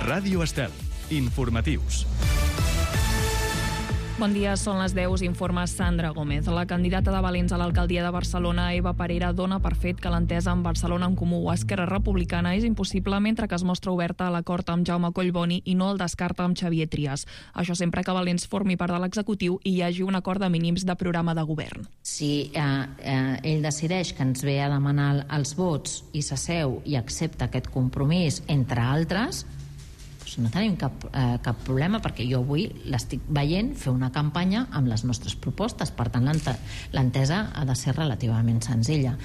Ràdio Estel. Informatius. Bon dia, són les 10, informa Sandra Gómez. La candidata de Valents a l'alcaldia de Barcelona, Eva Parera, dona per fet que l'entesa amb Barcelona en Comú o Esquerra Republicana és impossible, mentre que es mostra oberta a l'acord amb Jaume Collboni i no el descarta amb Xavier Trias. Això sempre que Valents formi part de l'executiu i hi hagi un acord de mínims de programa de govern. Si ell decideix que ens ve a demanar els vots i s'asseu i accepta aquest compromís, entre altres, no tenim cap problema, perquè jo avui l'estic veient fer una campanya amb les nostres propostes. Per tant, l'entesa ha de ser relativament senzilla.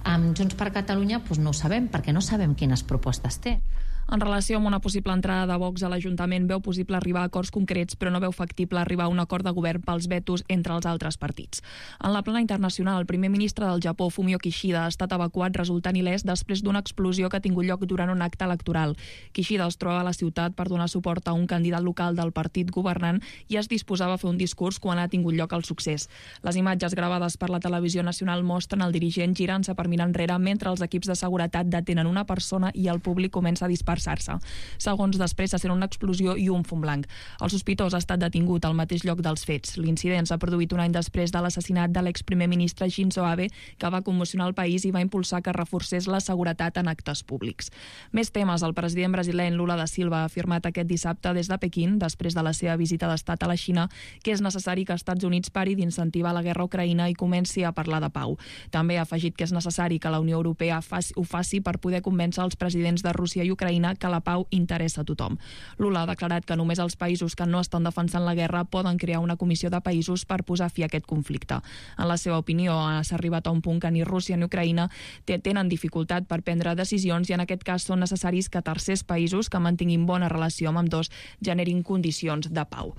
Amb Junts per Catalunya no ho sabem, perquè no sabem quines propostes té. En relació amb una possible entrada de Vox a l'Ajuntament, veu possible arribar a acords concrets, però no veu factible arribar a un acord de govern pels vetos entre els altres partits. En la plana internacional, el primer ministre del Japó, Fumio Kishida, ha estat evacuat resultant il·lès després d'una explosió que ha tingut lloc durant un acte electoral. Kishida es troba a la ciutat per donar suport a un candidat local del partit governant i es disposava a fer un discurs quan ha tingut lloc el succés. Les imatges gravades per la televisió nacional mostren el dirigent girant-se per mirar enrere mentre els equips de seguretat detenen una persona i el públic comença a disparar-se. Segons després se sent una explosió i un fum blanc. El sospitós ha estat detingut al mateix lloc dels fets. L'incident s'ha produït un any després de l'assassinat de l'exprimer ministre Shinzo Abe, que va commocionar el país i va impulsar que reforcés la seguretat en actes públics. Més temes. El president brasiler Lula da Silva ha afirmat aquest dissabte des de Pequín, després de la seva visita d'estat a la Xina, que és necessari que Estats Units pari d'incentivar la guerra a Ucraïna i comenci a parlar de pau. També ha afegit que és necessari que la Unió Europea ho faci per poder convèncer els presidents de Rússia i Ucraïna que la pau interessa a tothom. Lula ha declarat que només els països que no estan defensant la guerra poden crear una comissió de països per posar fi a aquest conflicte. En la seva opinió, s'ha arribat a un punt que ni Rússia ni Ucraïna tenen dificultat per prendre decisions i en aquest cas són necessaris que tercers països que mantinguin bona relació amb ambdós generin condicions de pau.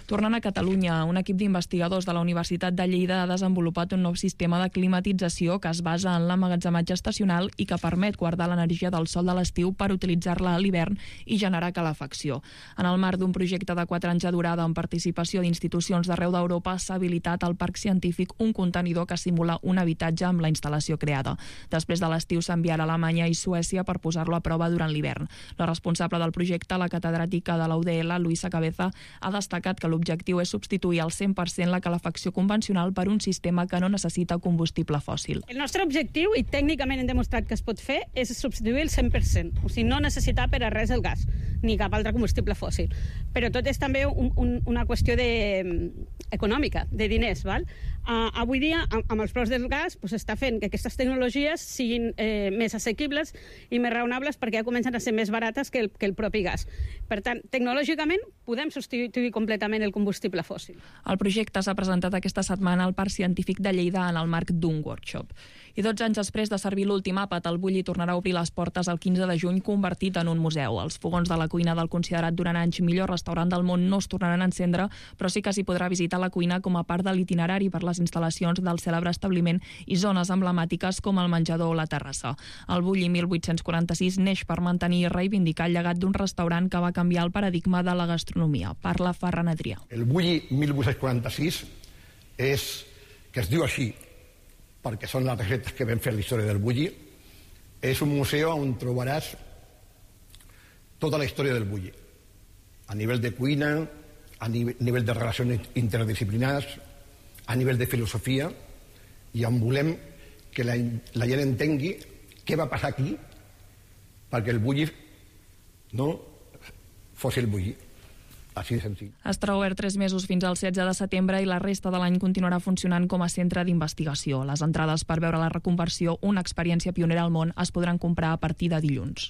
Tornant a Catalunya, un equip d'investigadors de la Universitat de Lleida ha desenvolupat un nou sistema de climatització que es basa en l'emmagatzematge estacional i que permet guardar l'energia del sol de l'estiu per utilitzar-la a l'hivern i generar calefacció. En el marc d'un projecte de 4 anys de durada amb participació d'institucions d'arreu d'Europa s'ha habilitat al Parc Científic un contenidor que simula un habitatge amb la instal·lació creada. Després de l'estiu s'enviarà a Alemanya i Suècia per posar-lo a prova durant l'hivern. La responsable del projecte, la catedràtica de la UDL, Luisa Cabeza, ha destacat que l'objectiu és substituir al 100% la calefacció convencional per un sistema que no necessita combustible fòssil. El nostre objectiu, i tècnicament hem demostrat que es pot fer, és substituir el 100%. O sigui, no necessitar per a res el gas, ni cap altre combustible fòssil. Però tot és també una qüestió econòmica, de diners. Val? Avui dia, amb els preus del gas, s'està fent que aquestes tecnologies siguin més assequibles i més raonables perquè ja comencen a ser més barates que el propi gas. Per tant, tecnològicament podem substituir completament el combustible fòssil. El projecte s'ha presentat aquesta setmana al Parc Científic de Lleida en el marc d'un workshop. I 12 anys després de servir l'últim àpat, el Bulli tornarà a obrir les portes el 15 de juny convertit en un museu. Els fogons de la cuina del considerat durant anys millor restaurant del món no es tornaran a encendre, però sí que s'hi podrà visitar la cuina com a part de l'itinerari per les instal·lacions del cèlebre establiment i zones emblemàtiques com el menjador o la terrassa. El Bulli 1846 neix per mantenir i reivindicar el llegat d'un restaurant que va canviar el paradigma de la gastronomia. Parla Ferran Adrià. El Bulli 1846 que es diu així perquè són les receptes que vam fer la història del Bulli. És un museu on trobaràs tota la història del Bulli, a nivell de cuina, a nivell de relacions interdisciplinars, a nivell de filosofia, i on volem que la gent entengui què va passar aquí perquè el Bulli no fos el Bulli. Així de senzill. Estarà obert 3 mesos fins al 16 de setembre i la resta de l'any continuarà funcionant com a centre d'investigació. Les entrades per veure la reconversió, una experiència pionera al món, es podran comprar a partir de dilluns.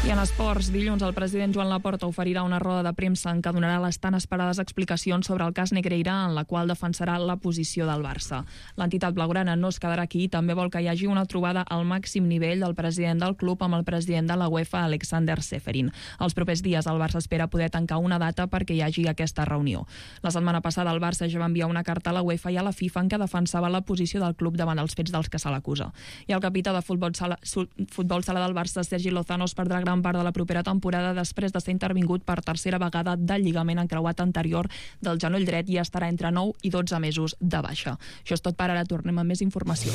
I en esports, dilluns el president Joan Laporta oferirà una roda de premsa en què donarà les tan esperades explicacions sobre el cas Negreira, en la qual defensarà la posició del Barça. L'entitat blaugrana no es quedarà aquí i també vol que hi hagi una trobada al màxim nivell del president del club amb el president de la UEFA, Alexander Seferin. Els propers dies el Barça espera poder tancar una data perquè hi hagi aquesta reunió. La setmana passada el Barça ja va enviar una carta a la UEFA i a la FIFA en què defensava la posició del club davant els fets dels que se l'acusa. I el capità de futbol sala del Barça, Sergi Lozano, es perdrà gran part de la propera temporada després de ser intervingut per tercera vegada del lligament encreuat anterior del genoll dret i estarà entre 9 i 12 mesos de baixa. Això és tot per ara, tornem amb més informació.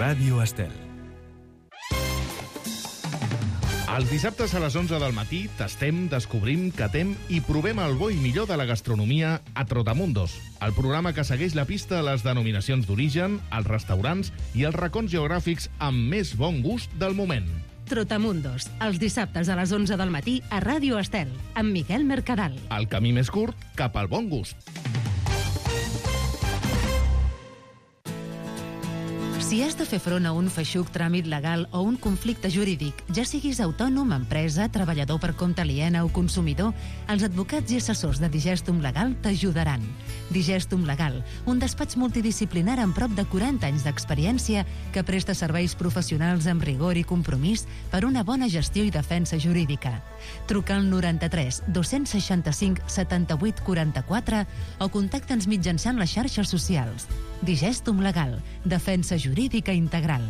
Ràdio Estel. Els dissabtes a les 11 del matí tastem, descobrim, catem i provem el bo i millor de la gastronomia a Trotamundos, el programa que segueix la pista a les denominacions d'origen, els restaurants i els racons geogràfics amb més bon gust del moment. Trotamundos, els dissabtes a les 11 del matí a Ràdio Estel, amb Miquel Mercadal. El camí més curt cap al bon gust. Si has de fer front a un feixuc tràmit legal o un conflicte jurídic, ja siguis autònom, empresa, treballador per compte aliena o consumidor, els advocats i assessors de Digestum Legal t'ajudaran. Digestum Legal, un despatx multidisciplinar amb prop de 40 anys d'experiència que presta serveis professionals amb rigor i compromís per una bona gestió i defensa jurídica. Truca al 93 265 78 44 o contacta'ns mitjançant les xarxes socials. Digestum Legal, defensa jurídica integral.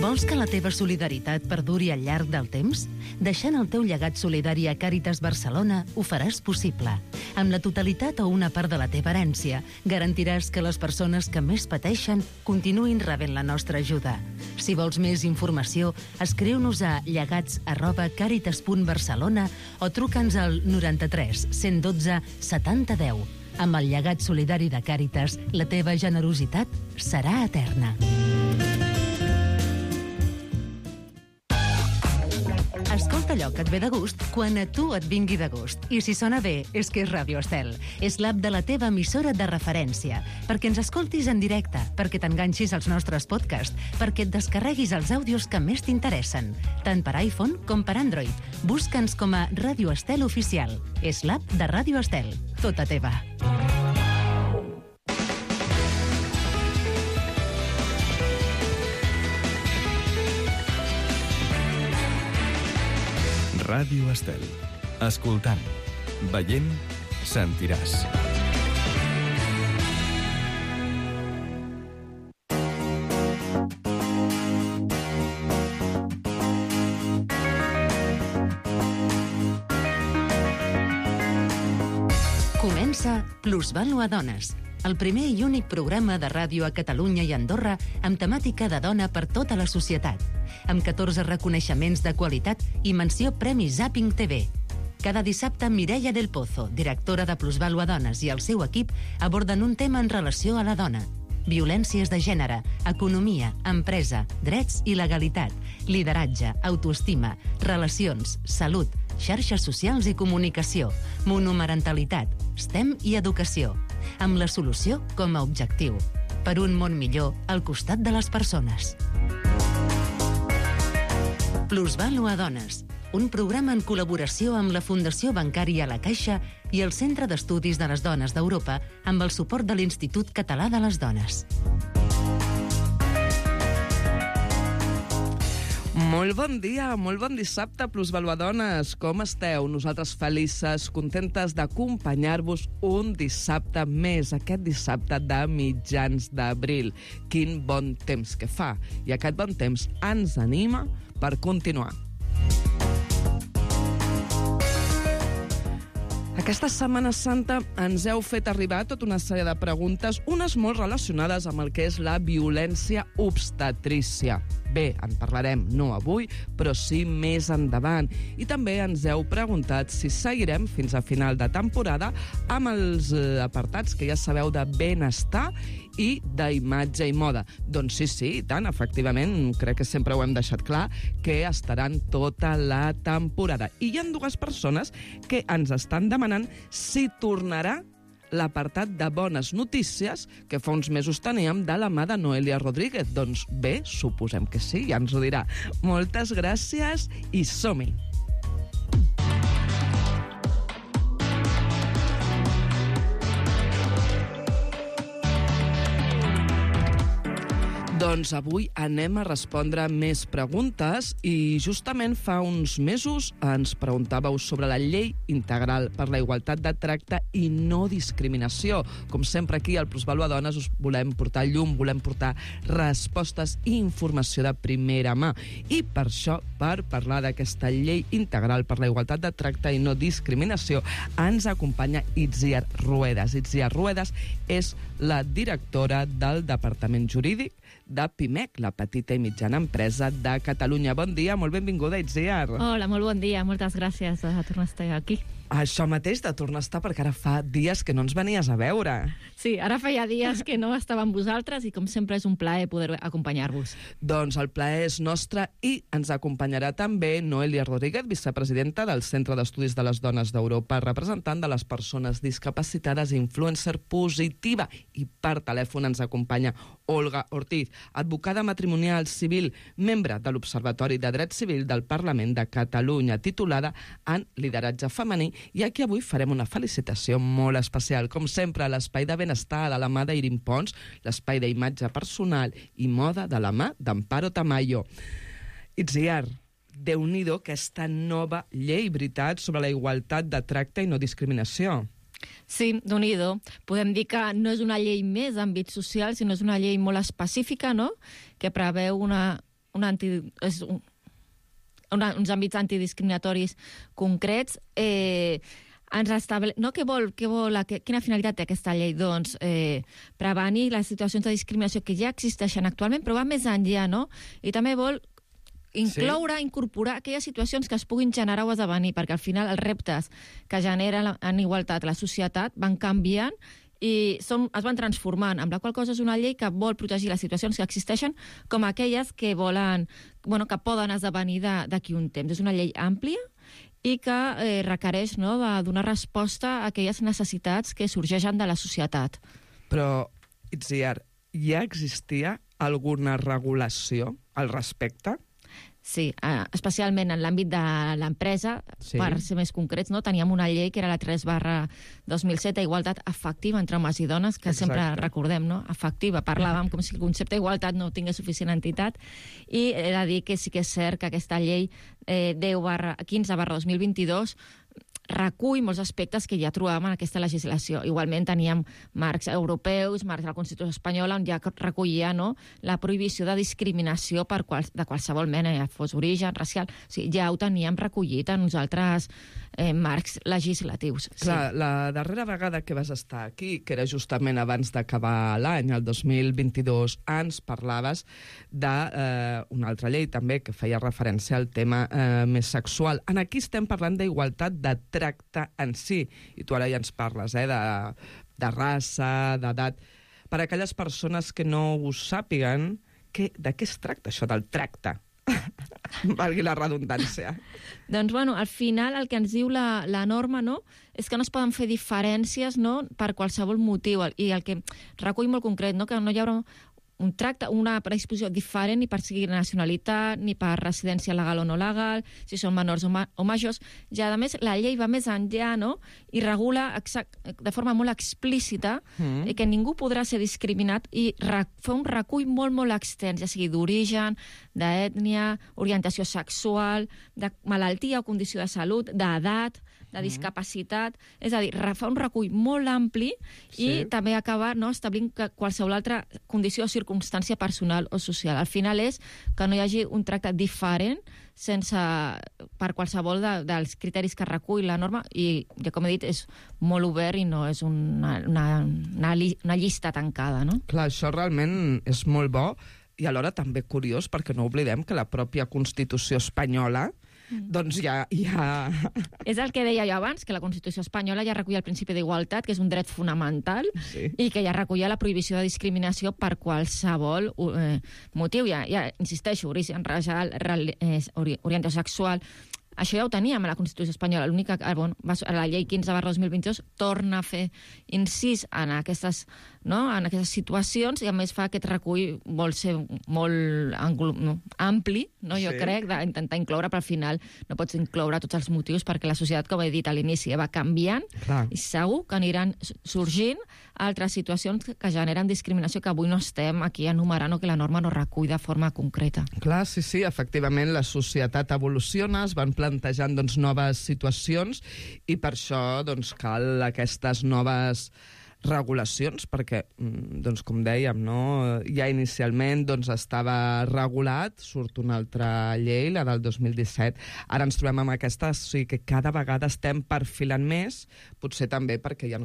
Vols que la teva solidaritat perduri al llarg del temps? Deixant el teu llegat solidari a Càritas Barcelona ho faràs possible. Amb la totalitat o una part de la teva herència, garantiràs que les persones que més pateixen continuïn rebent la nostra ajuda. Si vols més informació, escriu-nos a llegats@caritas.barcelona o truca'ns al 93 112 70 10. Amb el llegat solidari de Càritas, la teva generositat serà eterna. Escolta allò que et ve de gust quan a tu et vingui de gust. I si sona bé, és que és Ràdio Estel. És l'app de la teva emissora de referència. Perquè ens escoltis en directe, perquè t'enganxis als nostres podcasts, perquè et descarreguis els àudios que més t'interessen, tant per iPhone com per Android. Busca'ns com a Ràdio Estel Oficial. És l'app de Ràdio Estel. Tota teva. Ràdio Estel. Escoltant, veient, sentiràs. Comença Plusvàlua Dones, el primer i únic programa de ràdio a Catalunya i Andorra amb temàtica de dona per tota la societat, amb 14 reconeixements de qualitat i menció Premi Zapping TV. Cada dissabte, Mireia del Pozo, directora de Plusvàlua Dones, i el seu equip aborden un tema en relació a la dona. Violències de gènere, economia, empresa, drets i legalitat, lideratge, autoestima, relacions, salut, xarxes socials i comunicació, monomarentalitat, STEM i educació, amb la solució com a objectiu. Per un món millor al costat de les persones. Plusvàlua Dones, un programa en col·laboració amb la Fundació Bancària La Caixa i el Centre d'Estudis de les Dones d'Europa amb el suport de l'Institut Català de les Dones. Molt bon dia, molt bon dissabte, Plusvàlua Dones. Com esteu? Nosaltres felices, contentes d'acompanyar-vos un dissabte més, aquest dissabte de mitjans d'abril. Quin bon temps que fa. I aquest bon temps ens anima per continuar. Aquesta Setmana Santa ens heu fet arribar tota una sèrie de preguntes, unes molt relacionades amb el que és la violència obstetrícia. Bé, en parlarem no avui, però sí més endavant. I també ens heu preguntat si seguirem fins a final de temporada amb els apartats que ja sabeu de benestar i d'imatge i moda. Doncs sí, i tant, efectivament, crec que sempre ho hem deixat clar, que estaran tota la temporada. I hi ha dues persones que ens estan demanant si tornarà l'apartat de bones notícies que fa uns mesos teníem de la mà de Noelia Rodríguez. Doncs bé, suposem que sí, ja ens ho dirà. Moltes gràcies i som-hi! Doncs avui anem a respondre més preguntes i justament fa uns mesos ens preguntàveu sobre la llei integral per la igualtat de tracte i no discriminació. Com sempre aquí al Plusvalua Dones us volem portar llum, volem portar respostes i informació de primera mà. I per això, per parlar d'aquesta llei integral per la igualtat de tracte i no discriminació, ens acompanya Itziar Ruedas. Itziar Ruedas és la directora del Departament Jurídic de PIMEC, la petita i mitjana empresa de Catalunya. Bon dia, molt benvinguda, Itziar. Hola, molt bon dia, moltes gràcies de tornar a estar aquí. Això mateix, de tornar a estar, perquè ara fa dies que no ens venies a veure. Sí, ara feia dies que no estava amb vosaltres i com sempre és un plaer poder acompanyar-vos. Doncs el plaer és nostre i ens acompanyarà també Noelia Rodríguez, vicepresidenta del Centre d'Estudis de les Dones d'Europa, representant de les persones discapacitades i influencer positiva. I per telèfon ens acompanya Olga Ortiz, advocada matrimonial civil, membre de l'Observatori de Dret Civil del Parlament de Catalunya, titulada en lideratge femení, i aquí avui farem una felicitació molt especial, com sempre, a l'Espai de Benestar de la mà d'Irin Pons, l'Espai d'imatge personal i moda de la mà d'Amparo Tamayo. Itziar, Déu-n'hi-do aquesta nova llei, veritat, sobre la igualtat de tracte i no discriminació. Sí, Déu-n'hi-do. Podem dir que no és una llei més d'àmbit social, sinó és una llei molt específica, no?, que preveu uns àmbits antidiscriminatoris concrets. Quina finalitat té aquesta llei? Doncs prevenir les situacions de discriminació que ja existeixen actualment, però va més enllà, no? I també vol incorporar aquelles situacions que es puguin generar o esdevenir, perquè al final els reptes que genera en igualtat la societat van canviant i es van transformant, amb la qual cosa és una llei que vol protegir les situacions que existeixen com aquelles que que poden esdevenir d'aquí un temps. És una llei àmplia i que requereix de donar resposta a aquelles necessitats que sorgeixen de la societat. Però, Itziar, ja existia alguna regulació al respecte? Sí, especialment en l'àmbit de l'empresa, per ser més concrets, teníem una llei que era la 3/2007 d'igualtat efectiva entre homes i dones, que sempre recordem, efectiva, parlàvem com si el concepte d'igualtat no tingués suficient entitat, i he de dir que sí que és cert que aquesta llei 15/2022 recull molts aspectes que ja trobàvem en aquesta legislació. Igualment teníem marcs europeus, marcs de la Constitució espanyola, on ja recollia la prohibició de discriminació de qualsevol mena, ja fos origen, racial. O sigui, ja ho teníem recollit en uns altres marcs legislatius. Clar, la darrera vegada que vas estar aquí, que era justament abans d'acabar l'any, el 2022, ens parlaves d'una altra llei també que feia referència al tema més sexual. Aquí estem parlant d'igualtat de tracte en si, i tu ara ja ens parles de raça, d'edat. Per a aquelles persones que no ho sàpiguen, de què es tracta això del tracte? Valgui la redundància. Doncs, al final el que ens diu la norma és que no es poden fer diferències per qualsevol motiu, i el que recull molt concret, que no hi haurà un tracte, una predisposició diferent ni per seguir nacionalitat, ni per residència legal o no legal, si són menors o majors. I, a més, la llei va més enllà, i regula de forma molt explícita que ningú podrà ser discriminat i fa un recull molt, molt extens, ja sigui d'origen, d'ètnia, orientació sexual, de malaltia o condició de salut, d'edat, de discapacitat. És a dir, fa un recull molt ampli i també acaba establint qualsevol altra condició o circumstància personal o social. Al final és que no hi hagi un tracte diferent per qualsevol dels criteris que recull la norma, i, com he dit, és molt obert i no és una llista tancada. Clar, això realment és molt bo i alhora també curiós, perquè no oblidem que la pròpia Constitució espanyola doncs ja... És el que deia jo abans, que la Constitució espanyola ja recollia el principi d'igualtat, que és un dret fonamental, i que ja recollia la prohibició de discriminació per qualsevol motiu. Ja insisteixo, origen racial, orientació sexual... Això ja ho teníem a la Constitució espanyola. L'única que la llei 15/2022 torna a fer incís en aquestes situacions, i a més fa aquest recull vol ser molt ampli, jo crec, d'intentar incloure, però al final no pots incloure tots els motius perquè la societat, com he dit a l'inici, va canviant i segur que aniran sorgint altres situacions que generen discriminació que avui no estem aquí enumerant o que la norma no recull de forma concreta. Clar, sí, efectivament la societat evoluciona, es van plantejant noves situacions i per això cal aquestes noves regulacions, perquè, com dèiem, ja inicialment estava regulat, surt una altra llei, la del 2017. Ara ens trobem amb aquesta, o sigui que cada vegada estem perfilant més, potser també perquè hi ha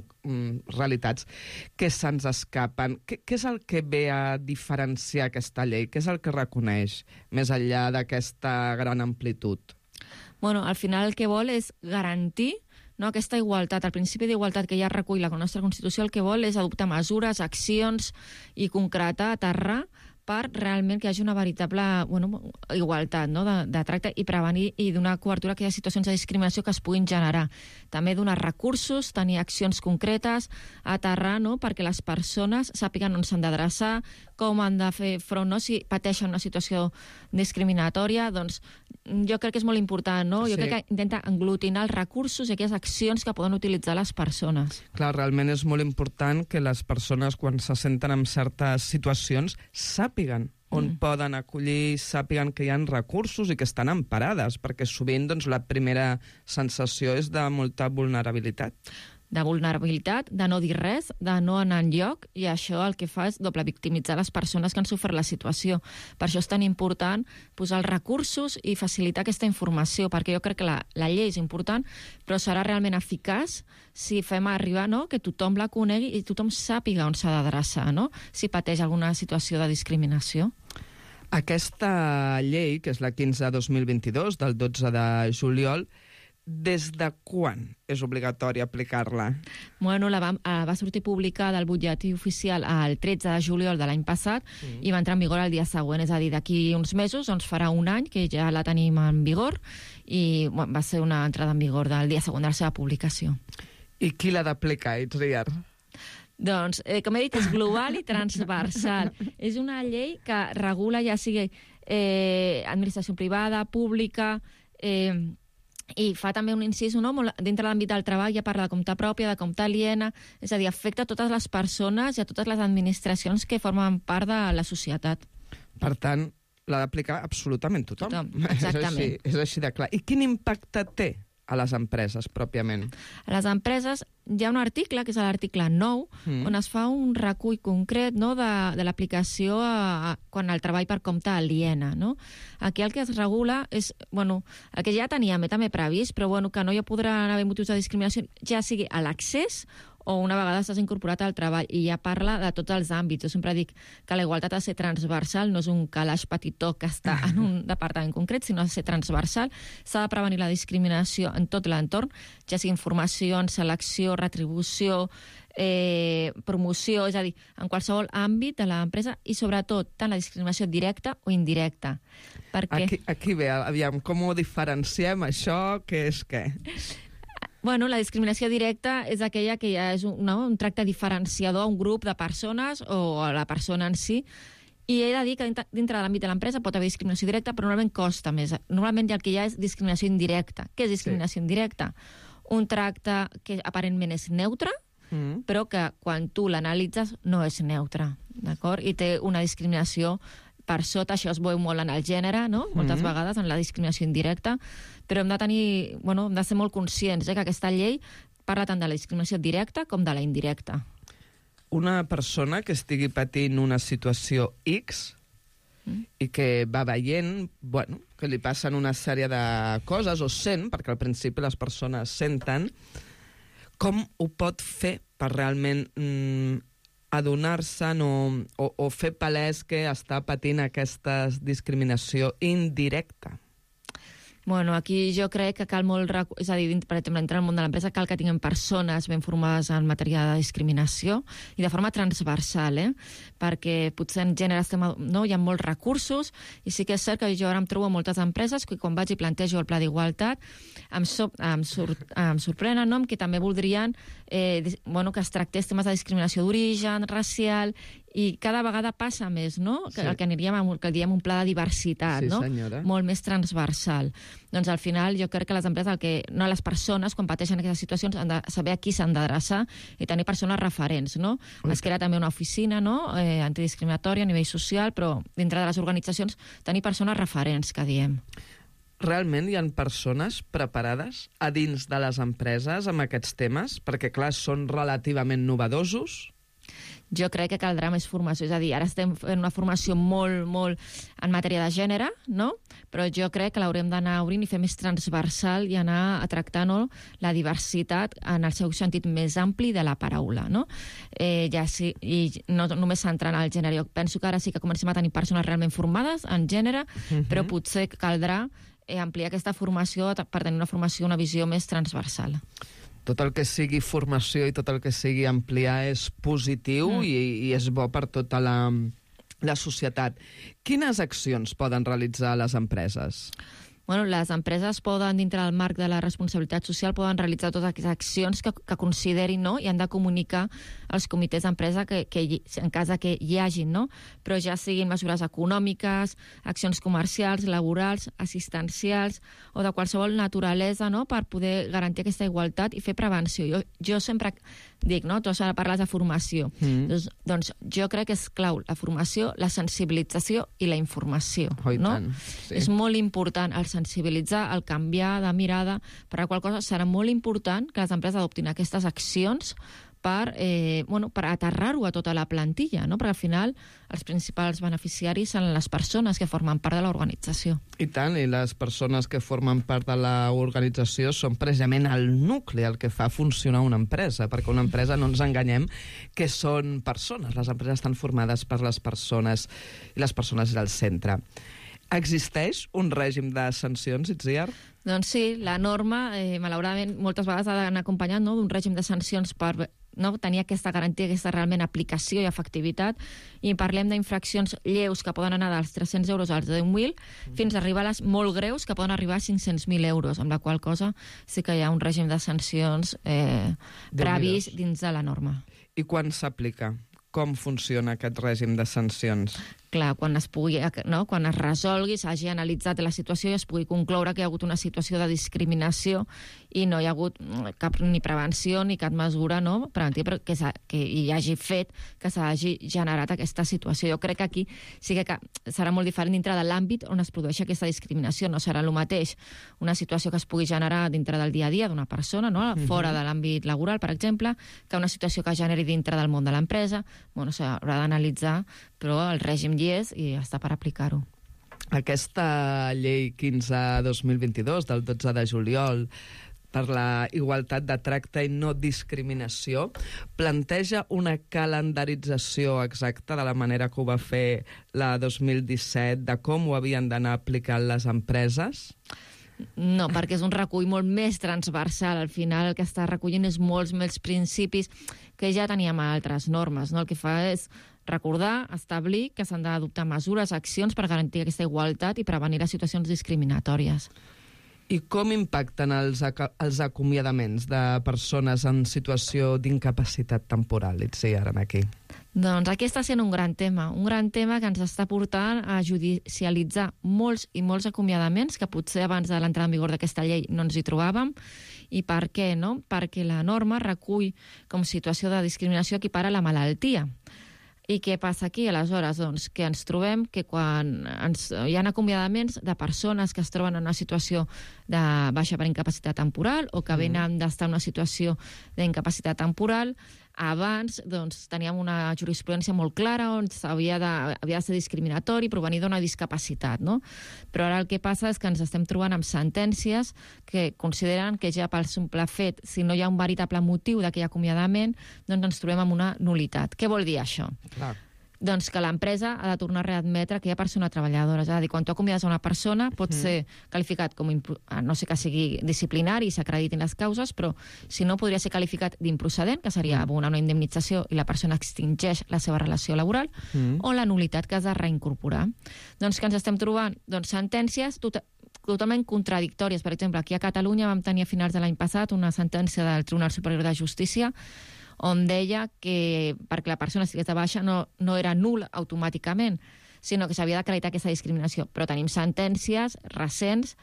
realitats que se'ns escapen. Què és el que ve a diferenciar aquesta llei? Què és el que reconeix, més enllà d'aquesta gran amplitud? Bueno, al final el que vol és garantir aquesta igualtat, el principi d'igualtat que ja recull la nostra Constitució, el que vol és adoptar mesures, accions i concretar, aterrar per realment que hi hagi una veritable igualtat de tracte i prevenir i donar cobertura a aquelles situacions de discriminació que es puguin generar. També donar recursos, tenir accions concretes, aterrar perquè les persones sàpiguen on s'han d'adreçar, com han de fer front, si pateixen una situació discriminatòria, doncs jo crec que és molt important, Jo crec que intenta aglutinar els recursos i aquelles accions que poden utilitzar les persones. Clar, realment és molt important que les persones, quan se senten en certes situacions, sàpiguen on poden acollir, sàpiguen que hi ha recursos i que estan emparades, perquè sovint la primera sensació és de molta vulnerabilitat. De vulnerabilitat, de no dir res, de no anar enlloc, i això el que fa és doble victimitzar les persones que han sofert la situació. Per això és tan important posar els recursos i facilitar aquesta informació, perquè jo crec que la llei és important, però serà realment eficaç si fem arribar que tothom la conegui i tothom sàpiga on s'ha d'adreçar, si pateix alguna situació de discriminació. Aquesta llei, que és la 15/2022, del 12 de juliol, des de quan és obligatori aplicar-la? Bueno, va sortir publicada al butlletí oficial el 13 de juliol de l'any passat i va entrar en vigor el dia següent, és a dir, d'aquí uns mesos, farà un any que ja la tenim en vigor i va ser una entrada en vigor del dia següent de la seva publicació. I qui l'ha d'aplicar, Itziar? Doncs, com he dit, és global i transversal. És una llei que regula ja sigui administració privada, pública, i fa també un incís, dintre l'àmbit del treball ja parla de compte pròpia, de compte aliena, és a dir, afecta a totes les persones i a totes les administracions que formen part de la societat. Per tant, l'ha d'aplicar absolutament tothom. Exactament. És així de clar. I quin impacte té a les empreses, pròpiament? A les empreses hi ha un article, que és l'article 9, on es fa un recull concret de l'aplicació quan el treball per compte aliena. Aquí el que es regula és, el que ja teníem també previst, però que no hi podran haver motius de discriminació, ja sigui a l'accés o una vegada estàs incorporat al treball, i ja parla de tots els àmbits. Jo sempre dic que la igualtat ha de ser transversal, no és un calaix petitó que està en un departament concret, sinó ha de ser transversal. S'ha de prevenir la discriminació en tot l'entorn, ja sigui informació, selecció, retribució, promoció, és a dir, en qualsevol àmbit de l'empresa, i sobretot tant la discriminació directa o indirecta. Aquí ve, aviam, com ho diferenciem això, què és què? La discriminació directa és aquella que ja és un tracte diferenciador a un grup de persones o a la persona en si, i he de dir que dintre de l'àmbit de l'empresa pot haver discriminació directa, però normalment costa més. Normalment el que hi ha és discriminació indirecta. Què és discriminació indirecta? Un tracte que aparentment és neutre, però que quan tu l'analitzes no és neutre, d'acord? I té una discriminació per sota, això es veu molt en el gènere, moltes vegades, en la discriminació indirecta, però hem de ser molt conscients que aquesta llei parla tant de la discriminació directa com de la indirecta. Una persona que estigui patint una situació X i que va veient que li passen una sèrie de coses, o sent, perquè al principi les persones senten, com ho pot fer per realment adonar-se'n o fer palès que està patint aquesta discriminació indirecta? Aquí jo crec que cal molt... És a dir, per exemple, entrar al món de l'empresa cal que tinguem persones ben formades en matèria de discriminació i de forma transversal, perquè potser en gènere hi ha molts recursos i sí que és cert que jo ara em trobo a moltes empreses que quan vaig i plantejo el pla d'igualtat em sorprenen que també voldrien que es tractés temes de discriminació d'origen, racial, I cada vegada passa més, no? El que diem un pla de diversitat, no? Senyora. Molt més transversal. Doncs al final jo crec que les empreses, les persones, quan pateixen aquestes situacions, han de saber a qui s'han d'adreçar i tenir persones referents, no? Es crea també una oficina, no?, antidiscriminatòria a nivell social, però dintre de les organitzacions tenir persones referents, que diem. Realment hi ha persones preparades a dins de les empreses amb aquests temes? Perquè, clar, són relativament novedosos. Jo crec que caldrà més formació. És a dir, ara estem fent una formació molt en matèria de gènere, no? Però jo crec que l'haurem d'anar obrint i fer més transversal i anar a tractar, no, la diversitat en el seu sentit més ampli de la paraula, no? I no només centrant al gènere. Jo penso que ara sí que comencem a tenir persones realment formades en gènere, però potser caldrà ampliar aquesta formació per tenir una formació, una visió més transversal. Tot el que sigui formació i tot el que sigui ampliar és positiu i és bo per tota la societat. Quines accions poden realitzar les empreses? Bueno, les empreses poden, dintre del marc de la responsabilitat social, poden realitzar totes aquestes accions que considerin, no?, i han de comunicar als comitès d'empresa que en cas que hi hagin, no? Però ja siguin mesures econòmiques, accions comercials, laborals, assistencials o de qualsevol naturalesa, no?, per poder garantir aquesta igualtat i fer prevenció. Jo sempre dic, no?, tu ara parles de formació. Doncs jo crec que és clau la formació, la sensibilització i la informació. No? És molt important el sensibilitzar, el canviar de mirada, per la qual cosa serà molt important que les empreses adoptin aquestes accions per aterrar-ho a tota la plantilla, no? Perquè al final els principals beneficiaris són les persones que formen part de l'organització. I tant, i les persones que formen part de l'organització són precisament el nucli, el que fa funcionar una empresa, perquè una empresa, no ens enganyem, que són persones. Les empreses estan formades per les persones i les persones és el centre. Existeix un règim de sancions, Itziar? Doncs sí, la norma, malauradament, moltes vegades ha d'anar acompanyat, no?, d'un règim de sancions per tenir aquesta garantia, aquesta realment aplicació i efectivitat, i parlem d'infraccions lleus que poden anar dels 300 euros als 10.000 fins a arribar a les molt greus que poden arribar a 500.000 euros, amb la qual cosa sí que hi ha un règim de sancions previst dins de la norma. I quan s'aplica? Com funciona aquest règim de sancions? Clar, quan es resolgui, s'hagi analitzat la situació i es pugui concloure que hi ha hagut una situació de discriminació i no hi ha hagut cap ni prevenció ni cap mesura preventiva que hi hagi fet que s'hagi generat aquesta situació. Jo crec que aquí sí que serà molt diferent dintre de l'àmbit on es produeix aquesta discriminació. No serà el mateix una situació que es pugui generar dintre del dia a dia d'una persona, no?, fora de l'àmbit laboral, per exemple, que una situació que es generi dintre del món de l'empresa. S'haurà d'analitzar, però el règim hi és i està per aplicar-ho. Aquesta llei 15/2022 del 12 de juliol per la igualtat de tracte i no discriminació planteja una calendarització exacta de la manera que ho va fer la 2017, de com ho havien d'anar aplicant les empreses? No, perquè és un recull molt més transversal. Al final el que està recollint és molts més principis que ja teníem a altres normes, no? El que fa és recordar, establir que s'han d'adoptar mesures, accions per garantir aquesta igualtat i prevenir les situacions discriminatòries. I com impacten els acomiadaments de persones en situació d'incapacitat temporal, Itziar, aquí? Doncs aquí està sent un gran tema que ens està portant a judicialitzar molts i molts acomiadaments que potser abans de l'entrada en vigor d'aquesta llei no ens hi trobàvem. I per què, no? Perquè la norma recull com situació de discriminació equipara la malaltia. I què passa aquí, aleshores? Doncs que ens trobem que quan hi ha acomiadaments de persones que es troben en una situació de baixa per incapacitat temporal o que venen d'estar en una situació d'incapacitat temporal, abans teníem una jurisprudència molt clara on havia de ser discriminatori, provenir d'una discapacitat, no? Però ara el que passa és que ens estem trobant amb sentències que consideren que ja pel simple fet, si no hi ha un veritable motiu d'aquell acomiadament, doncs ens trobem amb una nulitat. Què vol dir això? Clar. Doncs que l'empresa ha de tornar a readmetre aquella persona treballadora. És a dir, quan tu acomiades a una persona pot ser qualificat com, no sé, que sigui disciplinari i s'acreditin les causes, però si no podria ser qualificat d'improcedent, que seria abonar una indemnització i la persona extingeix la seva relació laboral, o la nulitat, que has de reincorporar. Doncs que ens estem trobant sentències totalment contradictòries. Per exemple, aquí a Catalunya vam tenir a finals de l'any passat una sentència del Tribunal Superior de Justícia on deia que perquè la persona estigués de baixa no era nul automàticament, sinó que s'havia d'acreditar aquesta discriminació. Però tenim sentències recents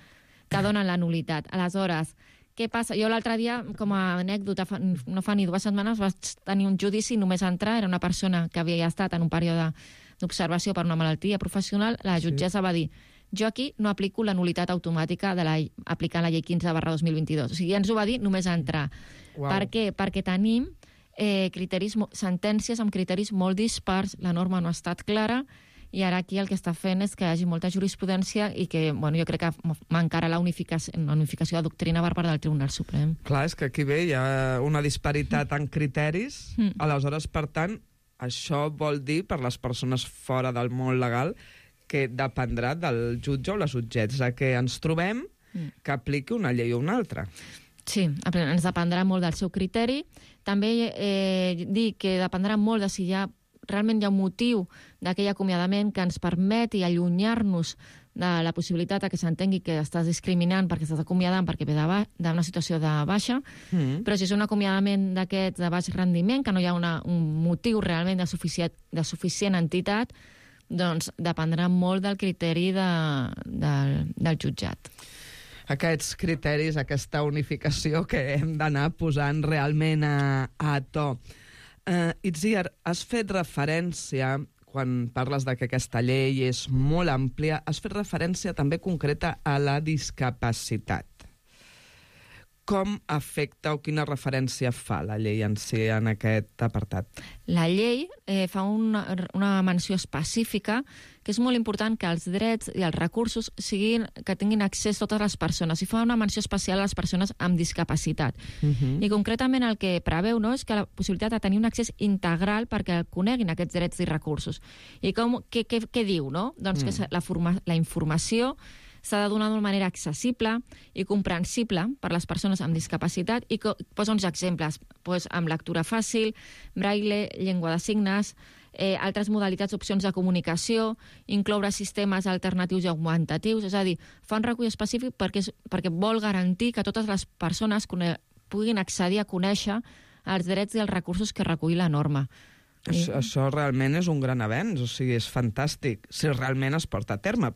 que donen la nulitat. Aleshores, què passa? Jo l'altre dia, com a anècdota, no fa ni 2 setmanes, vaig tenir un judici, només entrar, era una persona que havia estat en un període d'observació per una malaltia professional, la jutgessa va dir: jo aquí no aplico la nulitat automàtica aplicant la llei 15/2022. O sigui, ens ho va dir només entrar. Uau. Per què? Perquè tenim sentències amb criteris molt dispars, la norma no ha estat clara, i ara aquí el que està fent és que hi hagi molta jurisprudència i que, bueno, jo crec que mancarà la unificació de doctrina per part del Tribunal Suprem. Clar, és que aquí ve hi ha una disparitat en criteris, aleshores, per tant, això vol dir, per les persones fora del món legal, que dependrà del jutge o la jutgessa que ens trobem que apliqui una llei o una altra. Sí, ens dependrà molt del seu criteri. També dir que dependrà molt de si realment hi ha un motiu d'aquell acomiadament que ens permeti allunyar-nos de la possibilitat que s'entengui que estàs discriminant perquè estàs acomiadant perquè ve d'una situació de baixa, però si és un acomiadament d'aquests de baix rendiment, que no hi ha un motiu realment de suficient entitat, doncs dependrà molt del criteri del jutjat. Aquests criteris, aquesta unificació que hem d'anar posant realment a to. Itziar, has fet referència, quan parles de que aquesta llei és molt àmplia, has fet referència també concreta a la discapacitat. Com afecta o quina referència fa la llei en si en aquest apartat? La llei fa una menció específica que és molt important que els drets i els recursos que tinguin accés totes les persones, i fa una menció especial a les persones amb discapacitat. I concretament el que preveu és que la possibilitat de tenir un accés integral perquè coneguin aquests drets i recursos. I què diu? Doncs que la informació s'ha de donar d'una manera accessible i comprensible per les persones amb discapacitat, i posa uns exemples, amb lectura fàcil, braille, llengua de signes, altres modalitats, opcions de comunicació, incloure sistemes alternatius i augmentatius, és a dir, fa un recull específic perquè vol garantir que totes les persones puguin accedir a conèixer els drets i els recursos que recull la norma. Això realment és un gran avenç, o sigui, és fantàstic, si realment es porta a terme.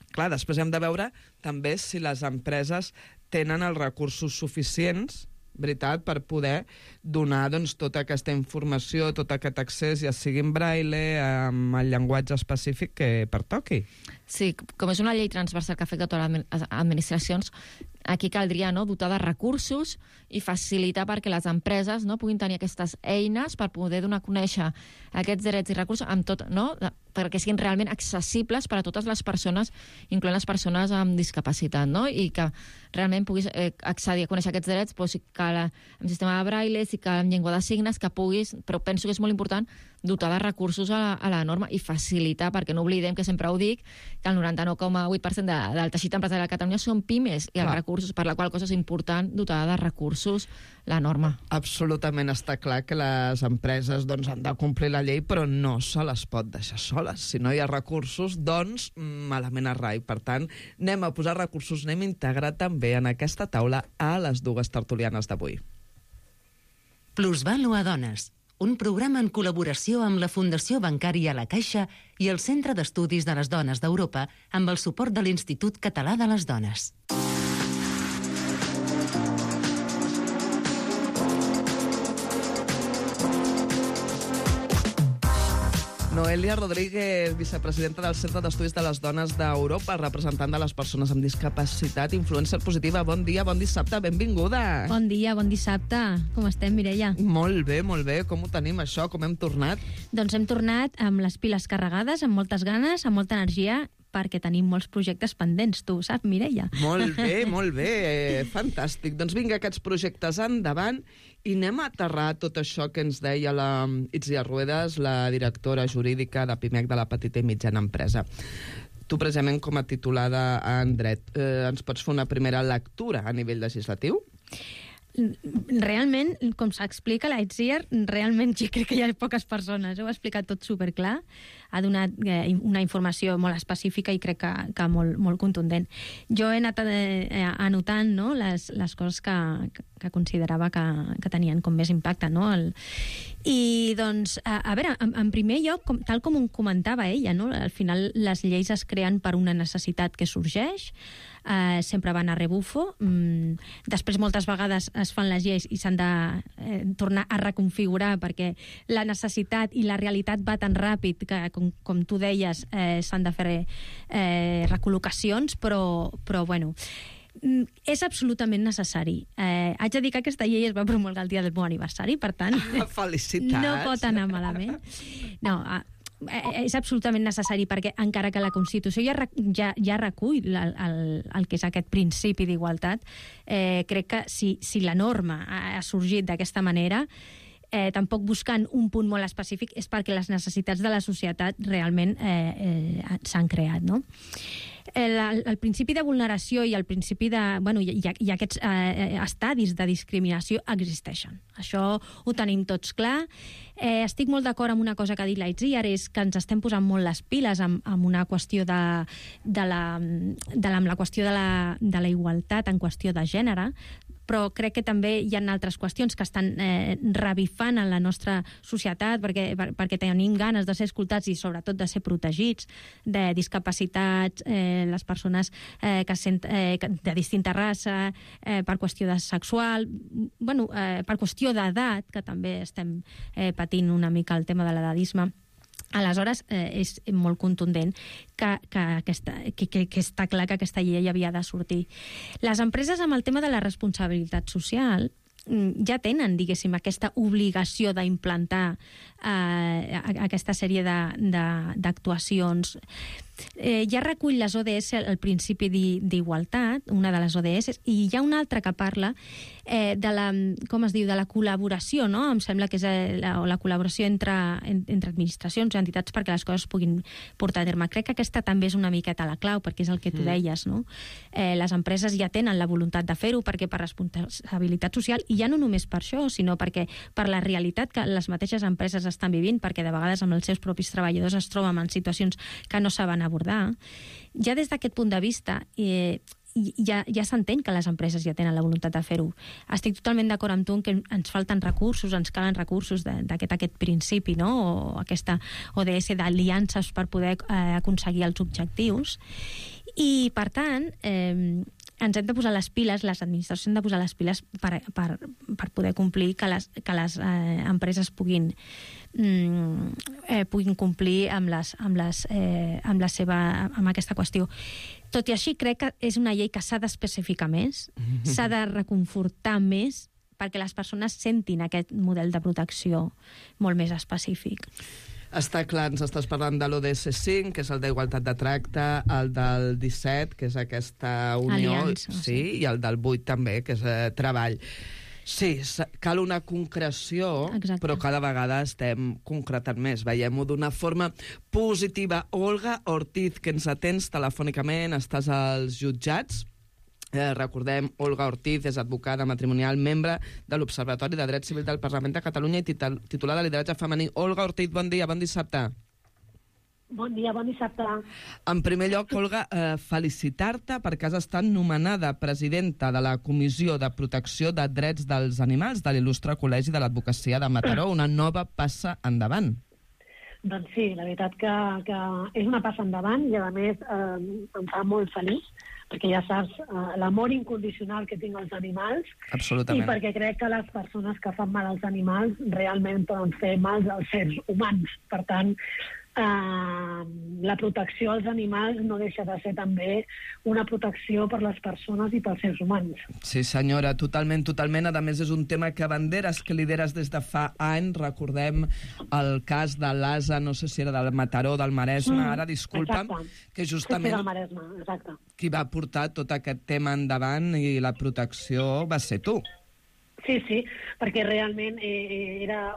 Clar, després hem de veure també si les empreses tenen els recursos suficients, veritat, per poder donar tota aquesta informació, tot aquest accés, ja sigui en braille, amb el llenguatge específic que pertoqui. Sí, com és una llei transversal que afecta totes les administracions, aquí caldria dotar de recursos i facilitar perquè les empreses puguin tenir aquestes eines per poder donar a conèixer aquests drets i recursos amb tot, perquè siguin realment accessibles per a totes les persones, incloent les persones amb discapacitat, i que realment puguis accedir a conèixer aquests drets, si cal amb sistema de braille, si cal amb llengua de signes, que puguis, però penso que és molt important dotar de recursos a la norma i facilitar, perquè no oblidem, que sempre ho dic, que el 99,8% del teixit empresarial de Catalunya són pimes, i els recursos, per la qual cosa és important dotar de recursos la norma. Absolutament està clar que les empreses han de complir la llei, però no se les pot deixar soles. Si no hi ha recursos, doncs malament a rai. Per tant, anem a posar recursos, anem a integrar també en aquesta taula a les dues tertulianes d'avui. Plusvalua Dones, un programa en col·laboració amb la Fundació Bancària La Caixa i el Centre d'Estudis de les Dones d'Europa amb el suport de l'Institut Català de les Dones. Noelia Rodríguez, vicepresidenta del Centre d'Estudis de les Dones d'Europa, representant de les persones amb discapacitat, influencer positiva. Bon dia, bon dissabte, benvinguda. Bon dia, bon dissabte. Com estem, Mireia? Molt bé, molt bé. Com ho tenim, això? Com hem tornat? Doncs hem tornat amb les piles carregades, amb moltes ganes, amb molta energia, perquè tenim molts projectes pendents, tu saps, Mireia? Molt bé, fantàstic. Doncs vinga, aquests projectes endavant, i anem a aterrar tot això que ens deia la Itziar Ruedas, la directora jurídica de PIMEC, de la petita i mitjana empresa. Tu, precisament, com a titulada en dret, ens pots fer una primera lectura a nivell legislatiu? Realment, com s'explica la Itziar, realment jo crec que hi ha poques persones. Ho ha explicat tot superclar, ha donat una informació molt específica i crec que molt contundent. Jo he anat anotant les coses que considerava que tenien com més impacte, no? I, doncs, a veure, en primer lloc, tal com comentava ella, no? Al final les lleis es creen per una necessitat que sorgeix, sempre van a rebufo. Després, moltes vegades es fan les lleis i s'han de tornar a reconfigurar perquè la necessitat i la realitat va tan ràpid que, com tu deies, s'han de fer recol·locacions, però bueno, és absolutament necessari. Haig de dir que aquesta llei es va promulgar el dia del meu aniversari, per tant, felicitats. No pot anar malament. No, és absolutament necessari perquè encara que la Constitució ja recull el que és aquest principi d'igualtat, crec que si la norma ha sorgit d'aquesta manera, tampoc buscant un punt molt específic, és perquè les necessitats de la societat realment s'han creat, no? El principi de vulneració i el principi de... Bueno, i aquests estadis de discriminació existeixen. Això ho tenim tots clar. Estic molt d'acord amb una cosa que ha dit l'Aitziar, és que ens estem posant molt les piles amb una qüestió amb la qüestió de la igualtat en qüestió de gènere, però crec que també hi ha altres qüestions que estan revifant en la nostra societat perquè tenim ganes de ser escoltats i sobretot de ser protegits, de discapacitats, les persones de distinta raça, per qüestió de sexual, bueno, per qüestió d'edat, que també estem patint una mica el tema de l'edadisme. Aleshores, és molt contundent que està clar que aquesta llei havia de sortir. Les empreses, amb el tema de la responsabilitat social, ja tenen, diguéssim, aquesta obligació d'implantar aquesta sèrie d'actuacions. Ja recull les ODS el principi d'igualtat, una de les ODS, i hi ha una altra que parla de la col·laboració, no? Em sembla que és la col·laboració entre administracions i entitats perquè les coses es puguin portar a terme. Crec que aquesta també és una miqueta la clau, perquè és el que tu deies, no? Les empreses ja tenen la voluntat de fer-ho perquè per responsabilitat social, i ja no només per això, sinó perquè per la realitat que les mateixes empreses estan vivint, perquè de vegades amb els seus propis treballadors es troben en situacions que no saben abordar. Ja des d'aquest punt de vista ja s'entén que les empreses ja tenen la voluntat de fer-ho. Estic totalment d'acord amb tu en que ens falten recursos, ens calen recursos d'aquest principi, no? O aquesta ODS d'aliances per poder aconseguir els objectius. I, per tant, ens hem de posar les piles, les administracions han de posar les piles per poder complir que les empreses puguin complir amb aquesta qüestió. Tot i així, crec que és una llei que s'ha d'especificar més, s'ha de reconfortar més, perquè les persones sentin aquest model de protecció molt més específic. Està clar, ens estàs parlant de l'ODS 5, que és el d'igualtat de tracte, el del 17, que és aquesta unió, Aliança, sí, i el del 8 també, que és treball. Sí, cal una concreció, exacte, però cada vegada estem concretant més. Veiem-ho d'una forma positiva. Olga Ortiz, que ens atens telefònicament, estàs als jutjats. Recordem, Olga Ortiz és advocada matrimonial, membre de l'Observatori de Dret Civil del Parlament de Catalunya i titular de lideratge femení. Olga Ortiz, bon dia, bon dissabte. Bon dia, bon dissabte. En primer lloc, Olga, felicitar-te perquè has estat nomenada presidenta de la Comissió de Protecció de Drets dels Animals de l'Il·lustre Col·legi de l'Advocacia de Mataró, una nova passa endavant. Doncs sí, la veritat que és una passa endavant i, a més, em fa molt feliç, perquè ja saps l'amor incondicional que tinc als animals. Absolutament. I perquè crec que les persones que fan mal als animals realment poden fer mal als seres humans. Per tant, la protecció als animals no deixa de ser també una protecció per les persones i pels seres humans. Sí, senyora, totalment, totalment. A més, és un tema que banderes que lideres des de fa anys. Recordem el cas de l'Asa, no sé si era del Mataró, del Maresme, ara, disculpa'm, exacte, que justament del Maresme, exacte, qui va portar tot aquest tema endavant i la protecció va ser tu. Sí, perquè realment era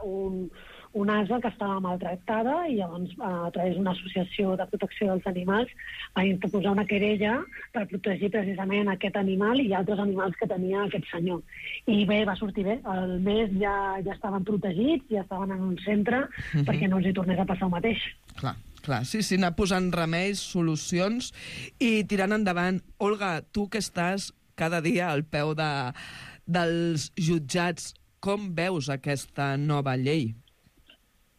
un ase que estava maltractada i llavors a través d'una associació de protecció dels animals va interposar una querella per protegir precisament aquest animal i altres animals que tenia aquest senyor. I bé, va sortir bé. Al mes ja estaven protegits, ja estaven en un centre perquè no els hi tornés a passar el mateix. Clar, sí, anar posant remeis, solucions i tirant endavant. Olga, tu que estàs cada dia al peu dels jutjats. Com veus aquesta nova llei?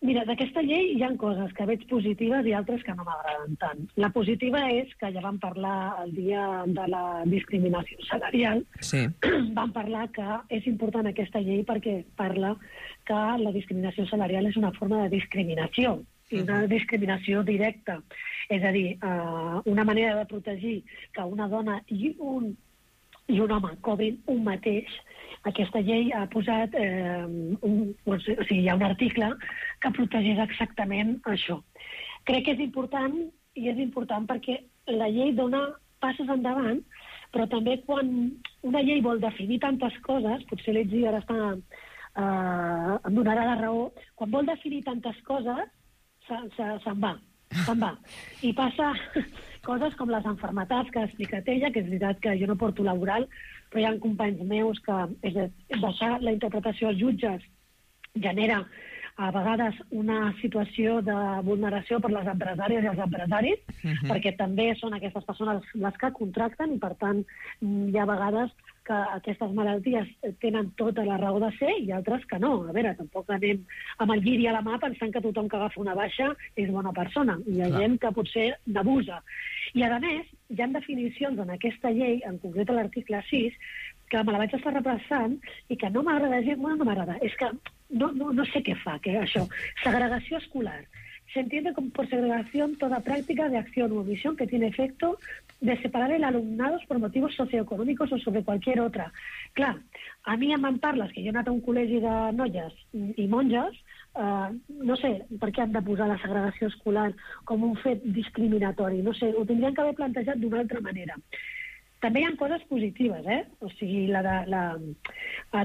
Mira, d'aquesta llei hi ha coses que veig positives i altres que no m'agraden tant. La positiva és que ja vam parlar el dia de la discriminació salarial. Sí. Vam parlar que és important aquesta llei perquè parla que la discriminació salarial és una forma de discriminació, i una discriminació directa. És a dir, una manera de protegir que una dona i un home cobrin un mateix. Aquesta llei ha posat, hi ha un article que protegeix exactament això. Crec que és important, i és important perquè la llei dona passes endavant, però també quan una llei vol definir tantes coses, potser l'Etzi ara em donarà la raó, quan vol definir tantes coses, se'n va. I passa coses com les malalties que ha explicat ella, que és veritat que jo no porto laboral, però hi ha companys meus que deixar la interpretació als jutges genera a vegades una situació de vulneració per les empresàries i els empresaris, perquè també són aquestes persones les que contracten i, per tant, hi ha vegades que aquestes malalties tenen tota la raó de ser i altres que no. A veure, tampoc anem amb el lliri a la mà pensant que tothom que agafa una baixa és bona persona. Hi ha gent que potser n'abusa. I, a més, hi ha definicions en aquesta llei, en concret a l'article 6, que me la vaig estar repassant i que no m'agrada gens, no m'agrada. És que no sé què fa, això. Segregació escolar. Se entiende por segregación toda práctica de acción u omisión que tiene efecto de separar el alumnado por motivos socioeconòmics o sobre cualquier otra. Clar, a mi em parles que jo he anat a un col·legi de noies i monges, no sé per què han de posar la segregació escolar com un fet discriminatori. No sé, ho tindrien que haver plantejat d'una altra manera. També hi ha coses positives, O sigui,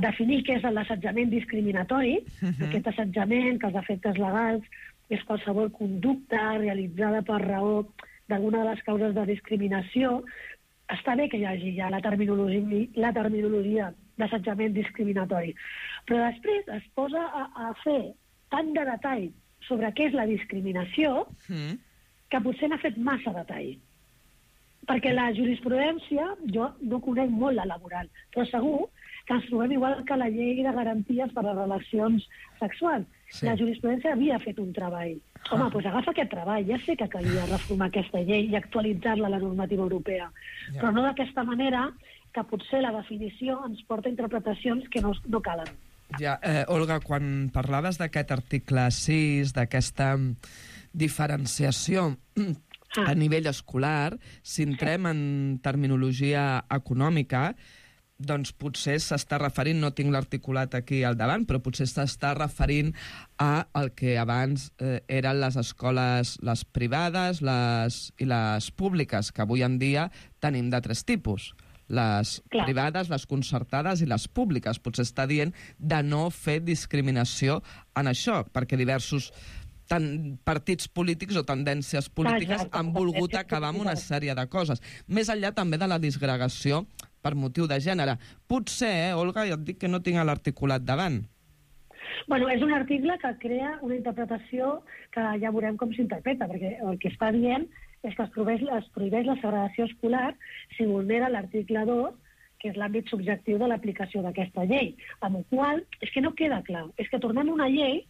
definir què és l'assetjament discriminatori, aquest assetjament, que els efectes legals és qualsevol conducta realitzada per raó d'alguna de les causes de discriminació. Està bé que hi hagi ja la terminologia d'assetjament discriminatori, però després es posa a fer tant de detall sobre què és la discriminació que potser n'ha fet massa detall. Perquè la jurisprudència, jo no conec molt la laboral, però segur que ens trobem igual que la llei de garanties per a les relacions sexuals. Sí. La jurisprudència havia fet un treball. Home, doncs agafa aquest treball. Ja sé que calia reformar aquesta llei i actualitzar-la a la normativa europea, però no d'aquesta manera que potser la definició ens porta a interpretacions que no calen. Ja, Olga, quan parlaves d'aquest article 6, d'aquesta diferenciació a nivell escolar, si entrem en terminologia econòmica, doncs potser s'està referint, no tinc l'articulat aquí al davant, però potser s'està referint a el que abans eren les escoles, les privades i les públiques, que avui en dia tenim de 3 tipus. Les privades, les concertades i les públiques. Potser està dient de no fer discriminació en això, perquè diversos partits polítics o tendències polítiques han volgut acabar amb una sèrie de coses. Més enllà també de la disgregació per motiu de gènere. Potser, Olga, ja et dic que no tinc l'articulat davant. Bueno, és un article que crea una interpretació que ja veurem com s'interpreta, perquè el que està dient és que es prohibeix la segregació escolar si vulnera l'article 2, que és l'àmbit subjectiu de l'aplicació d'aquesta llei. Amb el qual és que no queda clar. És que tornem a una llei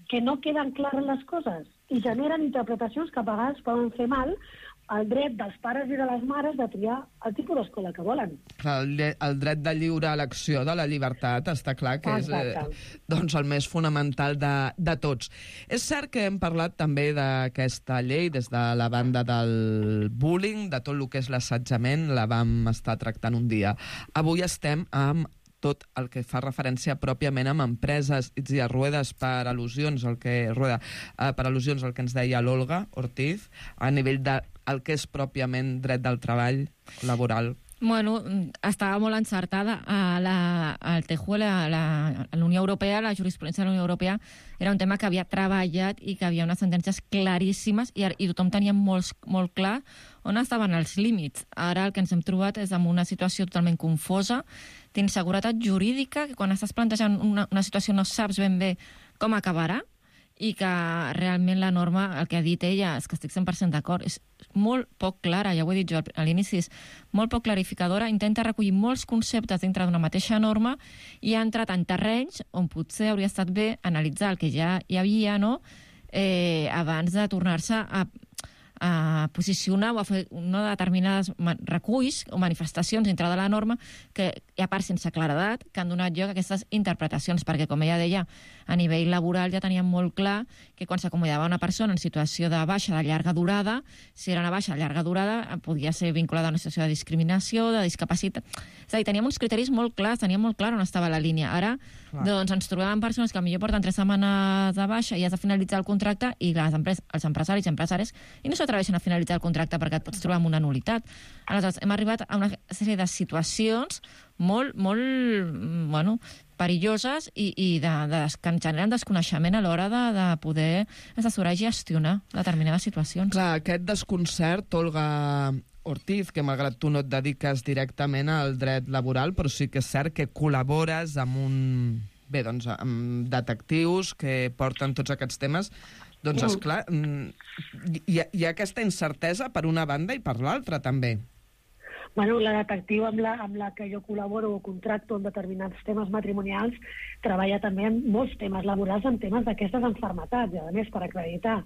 que no queden clares les coses i generen interpretacions que a vegades poden fer mal al dret dels pares i de les mares de triar el tipus d'escola que volen. El dret de lliure elecció, de la llibertat, està clar que és el més fonamental de tots. És cert que hem parlat també d'aquesta llei des de la banda del bullying, de tot el que és l'assetjament, la vam estar tractant un dia. Avui estem amb tot el que fa referència pròpiament amb empreses i a Ruedas per al·lusions, el que ens deia l'Olga Ortiz, a nivell del que és pròpiament dret del treball laboral. Bueno, estava molt encertada. El TEJUE, la Unió Europea, la jurisprudència de la Unió Europea, era un tema que havia treballat i que havia unes sentències claríssimes i tothom tenia molt clar on estaven els límits. Ara el que ens hem trobat és amb una situació totalment confosa, d'inseguretat jurídica, que quan estàs plantejant una situació no saps ben bé com acabarà, i que realment la norma, el que ha dit ella, és que estic 100% d'acord, és molt poc clara, ja ho he dit jo a l'inici, és molt poc clarificadora, intenta recollir molts conceptes dintre d'una mateixa norma i ha entrat en terrenys on potser hauria estat bé analitzar el que ja hi havia, no?, abans de tornar-se a posicionar o a fer determinades reculls o manifestacions dintre de la norma que, a part sense claredat, que han donat lloc a aquestes interpretacions, perquè, com ella deia, a nivell laboral ja teníem molt clar que quan s'acomodava una persona en situació de baixa de llarga durada, si era una baixa de llarga durada, podia ser vinculada a una situació de discriminació, de discapacitat. És a dir, teníem uns criteris molt clars, teníem molt clar on estava la línia. Ara, doncs, ens trobem amb persones que potser porten 3 setmanes de baixa i has de finalitzar el contracte i els empresaris i empresàries i no s'atreveixen a finalitzar el contracte perquè et pots trobar amb una nul·litat. Aleshores, hem arribat a una sèrie de situacions molt perilloses i que ens generen desconeixement a l'hora de poder assessorar i gestionar determinades situacions. Clar, aquest desconcert, Olga Ortiz, que malgrat tu no et dediques directament al dret laboral, però sí que és cert que col·labores amb amb detectius que porten tots aquests temes. Doncs, esclar, hi ha aquesta incertesa per una banda i per l'altra, també. Bueno, la detectiva amb la que jo col·laboro o contracto en determinats temes matrimonials treballa també en molts temes laborals, en temes d'aquestes malalties, i a més per acreditar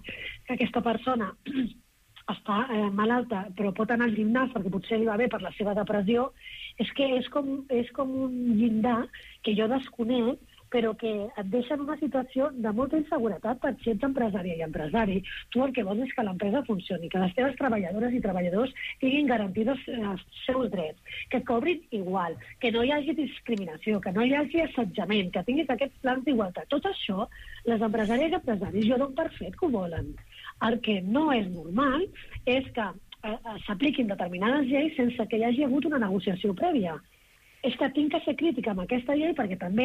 que aquesta persona està malalta però pot anar al gimnàs perquè potser li va bé per la seva depressió, és que és com un llindar que jo desconec, però que et deixa en una situació de molta inseguretat per si ets empresària i empresari. Tu el que vols és que l'empresa funcioni, que les teves treballadores i treballadors tinguin garantits els seus drets, que et cobrin igual, que no hi hagi discriminació, que no hi hagi assetjament, que tinguis aquests plans d'igualtat. Tot això, les empresàries i empresaris jo dono per fet que ho volen. El que no és normal és que s'apliquin determinades lleis sense que hi hagi hagut una negociació prèvia. És que tinc que ser crítica amb aquesta llei perquè també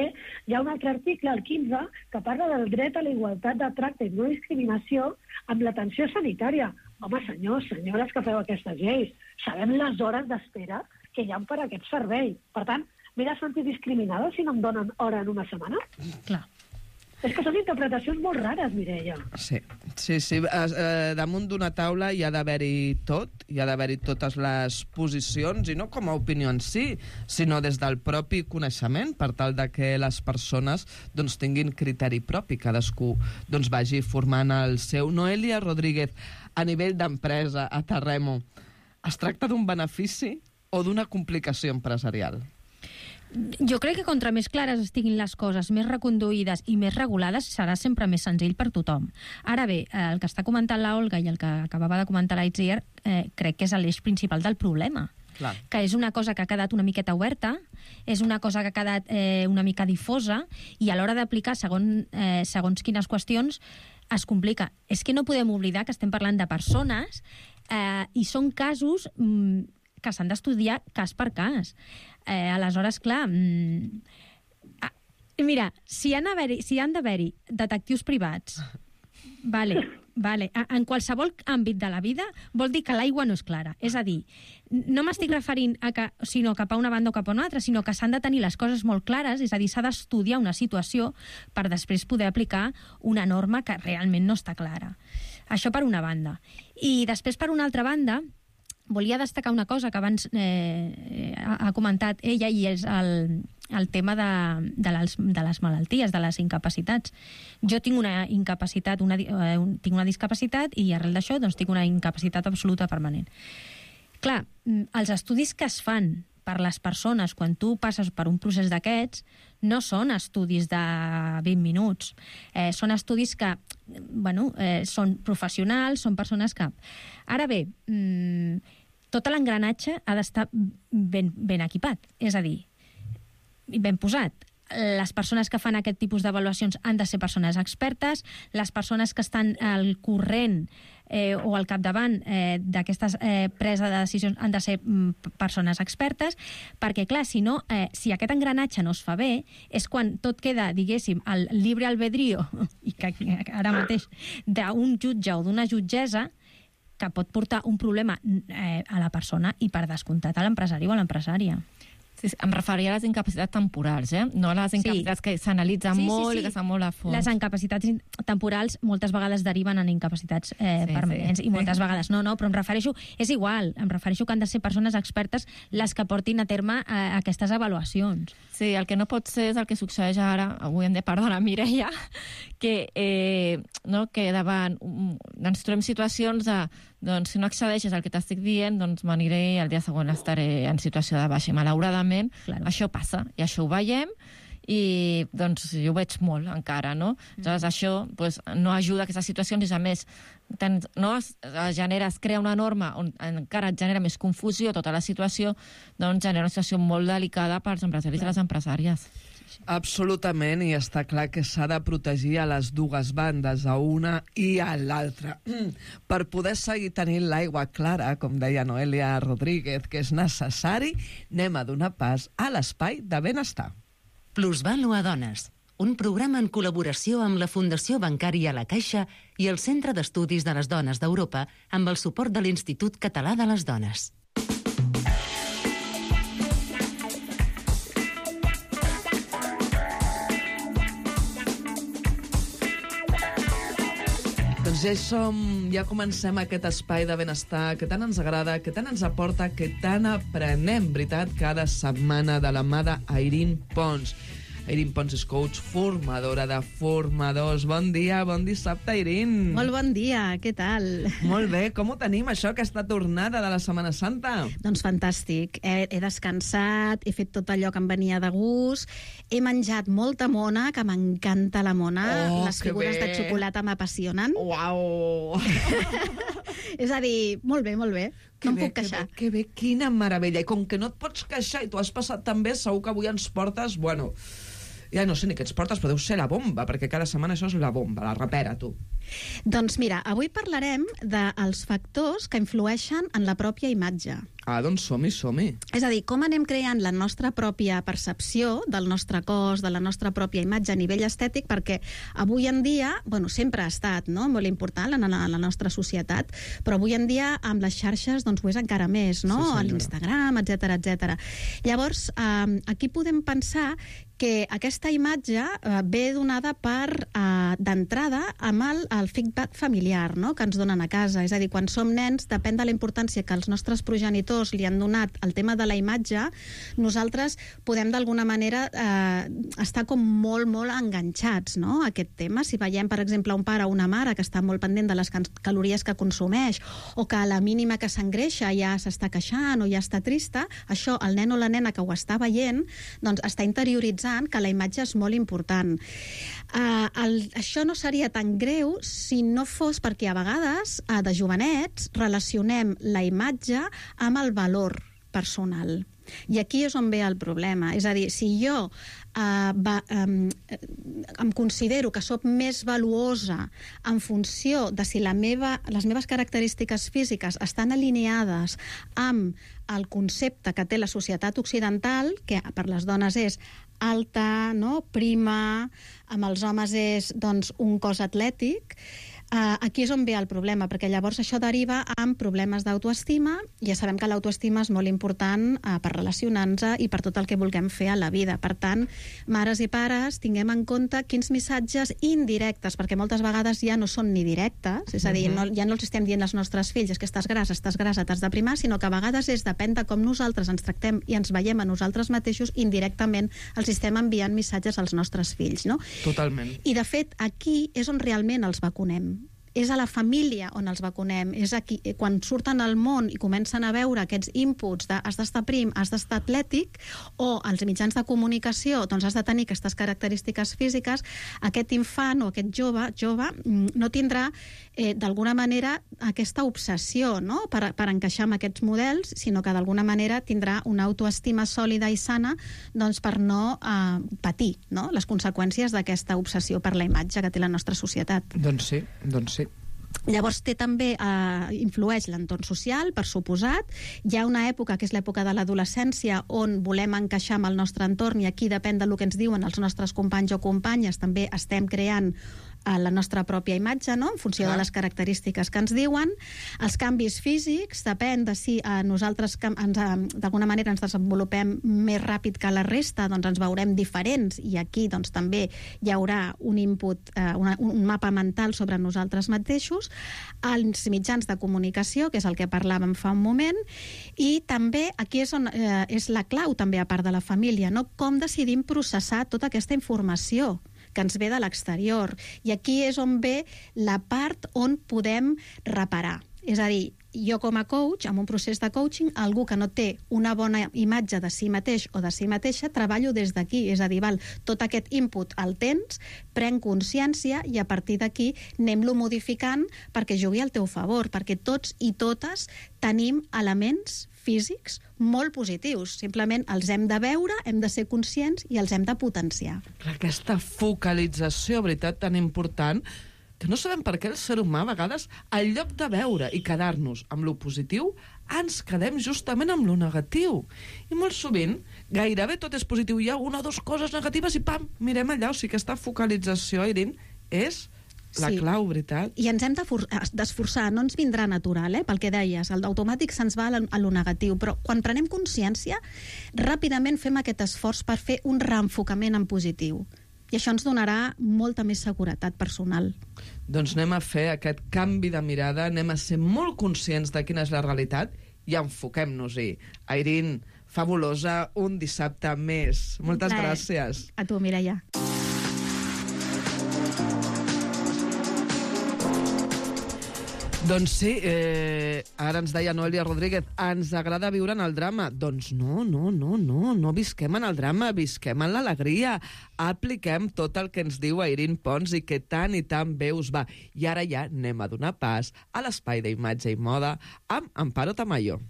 hi ha un altre article, el 15, que parla del dret a la igualtat de tracte i no discriminació amb l'atenció sanitària. Home, senyors, senyores que feu aquestes lleis, sabem les hores d'espera que hi ha per a aquest servei. Per tant, m'he de sentir discriminada si no em donen hora en una setmana? Clar. És que són interpretacions molt rares, Mireia. Sí. Damunt d'una taula hi ha d'haver-hi tot, hi ha d'haver-hi totes les posicions, i no com a opinió en si, sinó des del propi coneixement, per tal de que les persones tinguin criteri propi, cadascú vagi formant el seu. Noelia Rodríguez, a nivell d'empresa, a Terremo, es tracta d'un benefici o d'una complicació empresarial? Jo crec que contra més clares estiguin les coses, més reconduïdes i més regulades, serà sempre més senzill per tothom. Ara bé, el que està comentant la Olga i el que acabava de comentar l'Aitziar, crec que és l'eix principal del problema. Clar. Que és una cosa que ha quedat una miqueta oberta, és una cosa que ha quedat una mica difosa, i a l'hora d'aplicar segons quines qüestions es complica. És que no podem oblidar que estem parlant de persones i són casos que s'han d'estudiar cas per cas. Aleshores, clar, mira, si han d'haver-hi detectius privats, vale, en qualsevol àmbit de la vida vol dir que l'aigua no és clara. És a dir, no m'estic referint sinó cap a una banda o cap a una altra, sinó que s'han de tenir les coses molt clares, és a dir, s'ha d'estudiar una situació per després poder aplicar una norma que realment no està clara. Això per una banda. I després, per una altra banda, volia destacar una cosa que abans ha comentat ella, i és el tema de les malalties, de les incapacitats. Jo tinc una incapacitat, tinc una discapacitat, i arrel d'això tinc una incapacitat absoluta permanent. Clar, els estudis que es fan per les persones quan tu passes per un procés d'aquests no són estudis de 20 minuts. Són estudis que, són professionals, són persones que... Ara bé, tot l'engranatge ha d'estar ben equipat, és a dir, ben posat. Les persones que fan aquest tipus d'avaluacions han de ser persones expertes, les persones que estan al corrent o al capdavant d'aquestes presa de decisions han de ser persones expertes, perquè, clar, si aquest engranatge no es fa bé, és quan tot queda, diguéssim, al libre albedrío, i que ara mateix, d'un jutge o d'una jutgessa, que pot portar un problema a la persona i, per descomptat, a l'empresari o a l'empresària. Sí, em referia a les incapacitats temporals, no a les incapacitats que s'analitzen molt i que estan molt a fons. Les incapacitats temporals moltes vegades deriven en incapacitats permanents i moltes vegades no, però em refereixo, és igual, em refereixo que han de ser persones expertes les que portin a terme aquestes avaluacions. Sí, el que no pot ser és el que succeeix ara, avui hem de perdonar Mireia, que davant ens trobem situacions de doncs si no accedeixes al que t'estic dient, doncs m'aniré i el dia següent estaré en situació de baixa. I malauradament, això passa, i això ho veiem, i doncs jo ho veig molt encara, no? Llavors això no ajuda a aquestes situacions, i a més es crea una norma on encara et genera més confusió tota la situació, doncs genera una situació molt delicada pels empresaris i les empresàries. Absolutament, i està clar que s'ha de protegir a les dues bandes, a una i a l'altra. Per poder seguir tenint l'aigua clara, com deia Noelia Rodríguez, que és necessari, anem a donar pas a l'espai de benestar. Plusvàlua Dones, un programa en col·laboració amb la Fundació Bancària La Caixa i el Centre d'Estudis de les Dones d'Europa amb el suport de l'Institut Català de les Dones. Doncs ja comencem aquest espai de benestar que tant ens agrada, que tant ens aporta, que tant aprenem, veritat, cada setmana de la mà d'Airín Pons. Airín Pons és coach, formadora de formadors. Bon dia, bon dissabte, Airín. Molt bon dia, què tal? Molt bé, com ho tenim, això, aquesta tornada de la Setmana Santa? Doncs fantàstic. He descansat, he fet tot allò que em venia de gust, he menjat molta mona, que m'encanta la mona, les figures de xocolata m'apassionen. Uau! És a dir, molt bé, molt bé. No em puc queixar. Que bé, quina meravella. I com que no et pots queixar i t'ho has passat tan bé, segur que avui ens portes, bueno, ja no sé ni què ens portes, però deu ser la bomba, perquè cada setmana això és la bomba, la rapera, tu. Doncs mira, avui parlarem dels factors que influeixen en la pròpia imatge. Ah, doncs som-hi. És a dir, com anem creant la nostra pròpia percepció del nostre cos, de la nostra pròpia imatge a nivell estètic, perquè avui en dia, bueno, sempre ha estat molt important en la nostra societat, però avui en dia amb les xarxes doncs ho és encara més, no? Sí, a l'Instagram, etc. Llavors, aquí podem pensar que aquesta imatge ve donada d'entrada amb el feedback familiar, no?, que ens donen a casa. És a dir, quan som nens, depèn de la importància que els nostres progenitors li han donat al tema de la imatge, nosaltres podem d'alguna manera estar com molt, molt enganxats, no?, a aquest tema. Si veiem, per exemple, un pare o una mare que està molt pendent de les calories que consumeix, o que a la mínima que s'engreixa ja s'està queixant o ja està trista, això, el nen o la nena que ho està veient, doncs està interioritzant que la imatge és molt important. Això no seria tan greu si no fos perquè a vegades, de jovenets, relacionem la imatge amb el valor personal. I aquí és on ve el problema. És a dir, si jo em considero que sóc més valuosa en funció de si les meves característiques físiques estan alineades amb el concepte que té la societat occidental, que per les dones és alta, no?, prima, amb els homes és doncs, un cos atlètic, aquí és on ve el problema, perquè llavors això deriva en problemes d'autoestima. Ja sabem que l'autoestima és molt important per relacionar-nos i per tot el que vulguem fer a la vida. Per tant, mares i pares, tinguem en compte quins missatges indirectes, perquè moltes vegades ja no són ni directes, és a dir, ja no els estem dient als nostres fills és que estàs grassa, t'has de primar, sinó que a vegades depèn de com nosaltres ens tractem i ens veiem a nosaltres mateixos, indirectament els estem enviant missatges als nostres fills, no? Totalment. I de fet, aquí és on realment els vacunem. És a la família on els vacunem, és aquí, quan surten al món i comencen a veure aquests inputs de has d'estar prim, has d'estar atlètic, o als mitjans de comunicació doncs has de tenir aquestes característiques físiques, aquest infant o aquest jove no tindrà d'alguna manera aquesta obsessió, no?, per encaixar amb aquests models, sinó que d'alguna manera tindrà una autoestima sòlida i sana doncs per no patir, no?, les conseqüències d'aquesta obsessió per la imatge que té la nostra societat. Doncs sí. Llavors també influeix l'entorn social, per suposat. Hi ha una època, que és l'època de l'adolescència, on volem encaixar amb el nostre entorn, i aquí depèn del que ens diuen els nostres companys o companyes, també estem creant a la nostra pròpia imatge, no? En funció de les característiques que ens diuen. Els canvis físics depèn de si nosaltres d'alguna manera ens desenvolupem més ràpid que la resta, doncs ens veurem diferents, i aquí doncs, també hi haurà un input, un mapa mental sobre nosaltres mateixos, els mitjans de comunicació, que és el que parlàvem fa un moment, i també aquí és la clau també a part de la família, no? Com decidim processar tota aquesta informació que ens ve de l'exterior. I aquí és on ve la part on podem reparar. És a dir, jo com a coach, en un procés de coaching, algú que no té una bona imatge de si mateix o de si mateixa, treballo des d'aquí. És a dir, tot aquest input el tens, pren consciència i a partir d'aquí anem-lo modificant perquè jugui al teu favor, perquè tots i totes tenim elements físics molt positius. Simplement els hem de veure, hem de ser conscients i els hem de potenciar. Aquesta focalització, veritat, tan important, que no sabem per què el ser humà, a vegades, en lloc de veure i quedar-nos amb lo positiu, ens quedem justament amb lo negatiu. I molt sovint, gairebé tot és positiu. Hi ha una o dues coses negatives i pam, mirem allà. O sigui, aquesta focalització, Irene, és la clau, veritat. I ens hem d'esforçar, no ens vindrà natural, pel que deies, el d'automàtic se'ns va a lo negatiu, però quan prenem consciència, ràpidament fem aquest esforç per fer un reenfocament en positiu. I això ens donarà molta més seguretat personal. Doncs anem a fer aquest canvi de mirada, anem a ser molt conscients de quina és la realitat i enfoquem-nos-hi. Irene, fabulosa, un dissabte més. Moltes gràcies. A tu, Mireia. Doncs sí, ara ens deia Noelia Rodríguez, ens agrada viure en el drama. Doncs no visquem en el drama, visquem en l'alegria. Apliquem tot el que ens diu Irene Pons i que tant i tan bé us va. I ara ja anem a donar pas a l'espai d'imatge i moda amb Amparo Tamayo.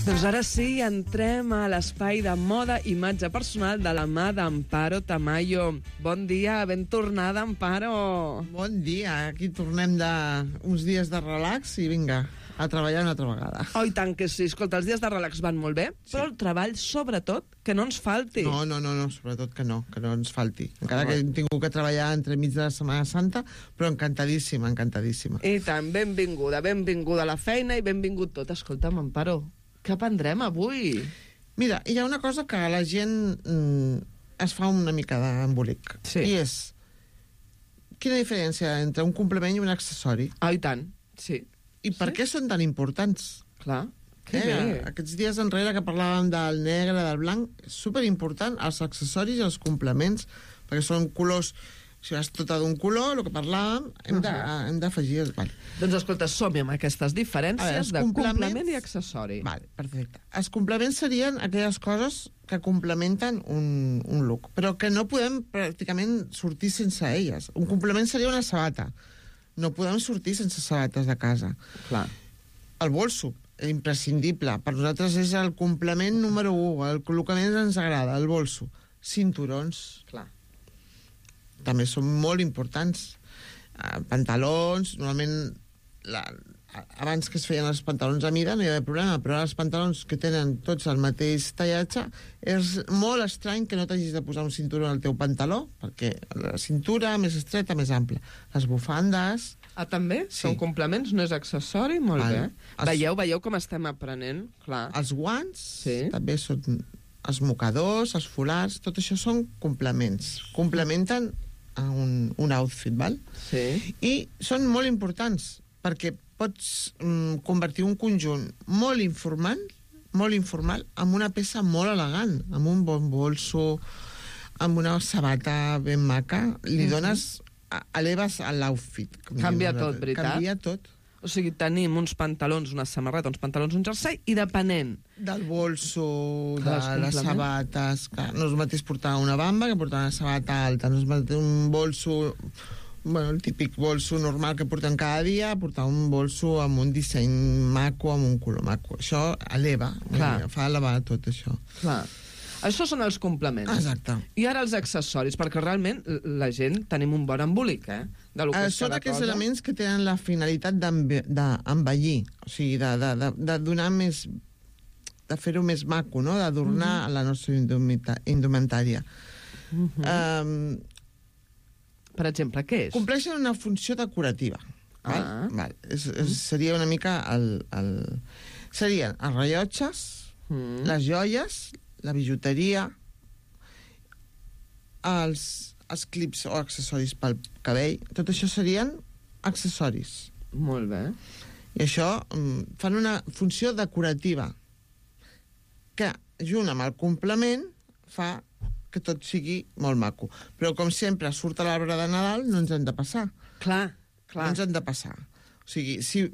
Doncs ara sí, entrem a l'espai de moda i imatge personal de la mà d'Amparo Tamayo. Bon dia, ben tornada, Amparo. Bon dia, aquí tornem uns dies de relax i vinga, a treballar una altra vegada. Oh, i tant que sí. Escolta, els dies de relax van molt bé, però el treball, sobretot, que no ens falti. No, sobretot que no ens falti. Encara que hem tingut que treballar entremig de la Setmana Santa, però encantadíssima. I tant, benvinguda a la feina i benvingut tot. Escolta'm, Amparo, què aprendrem avui? Mira, hi ha una cosa que la gent es fa una mica d'embolic. Sí. I és, quina diferència entre un complement i un accessori? Ah, i tant, sí. I per què són tan importants? Clar, que bé. Aquests dies enrere que parlàvem del negre, del blanc, és superimportant els accessoris i els complements, perquè són colors. Si vas tota d'un color, el que parlàvem, hem d'afegir. Vale. Doncs escolta, som-hi amb aquestes diferències de complement i accessori. Vale, perfecte. Els complements serien aquelles coses que complementen un look, però que no podem pràcticament sortir sense elles. Un complement seria una sabata. No podem sortir sense sabates de casa. Clar. El bolso, imprescindible. Per nosaltres és el complement número 1, el que més ens agrada, el bolso. Cinturons. Clar. També són molt importants. Pantalons, normalment abans que es feien els pantalons a mida no hi havia problema, però els pantalons que tenen tots el mateix tallatge és molt estrany que no t'hagis de posar un cinturó al teu pantaló, perquè la cintura més estreta, més ampla. Les bufandes... Ah, també? Sí. Són complements, no és accessori? Molt bé. Veieu com estem aprenent? Clar. Els guants també són els mocadors, els folars, tot això són complements. Complementen un outfit, val? Sí. I són molt importants, perquè pots convertir un conjunt molt informal en una peça molt elegant, amb un bon bolso, amb una sabata ben maca. Li dones... eleves l'outfit. Canvia tot, veritat? Canvia tot. O sigui, tenim uns pantalons, una samarreta, uns pantalons, un jersei, i depenent del bolso, de les sabates... Clar, no és el mateix portar una bamba que portar una sabata alta, no és el mateix un bolso... Bueno, el típic bolso normal que portem cada dia, portar un bolso amb un disseny maco, amb un color maco. Això eleva, fa elevar tot això. Clar. Això són els complements. Exacte. I ara els accessoris, perquè realment la gent tenim un bon embolic, de lo que és són aquells elements que tenen la finalitat d'envellir, o sigui, de donar més de fer-ho més maco, no? D'adornar la nostra indumentària. Per exemple, què és? Compleixen una funció decorativa. Val? Seria una mica serien els rellotges, les joies, la bijuteria, els clips o accessoris pel cabell. Tot això serien accessoris. Molt bé. I això fan una funció decorativa que, junt amb el complement, fa que tot sigui molt maco. Però, com sempre, surt a l'arbre de Nadal, no ens hem de passar. Clar. No ens hem de passar. O sigui, si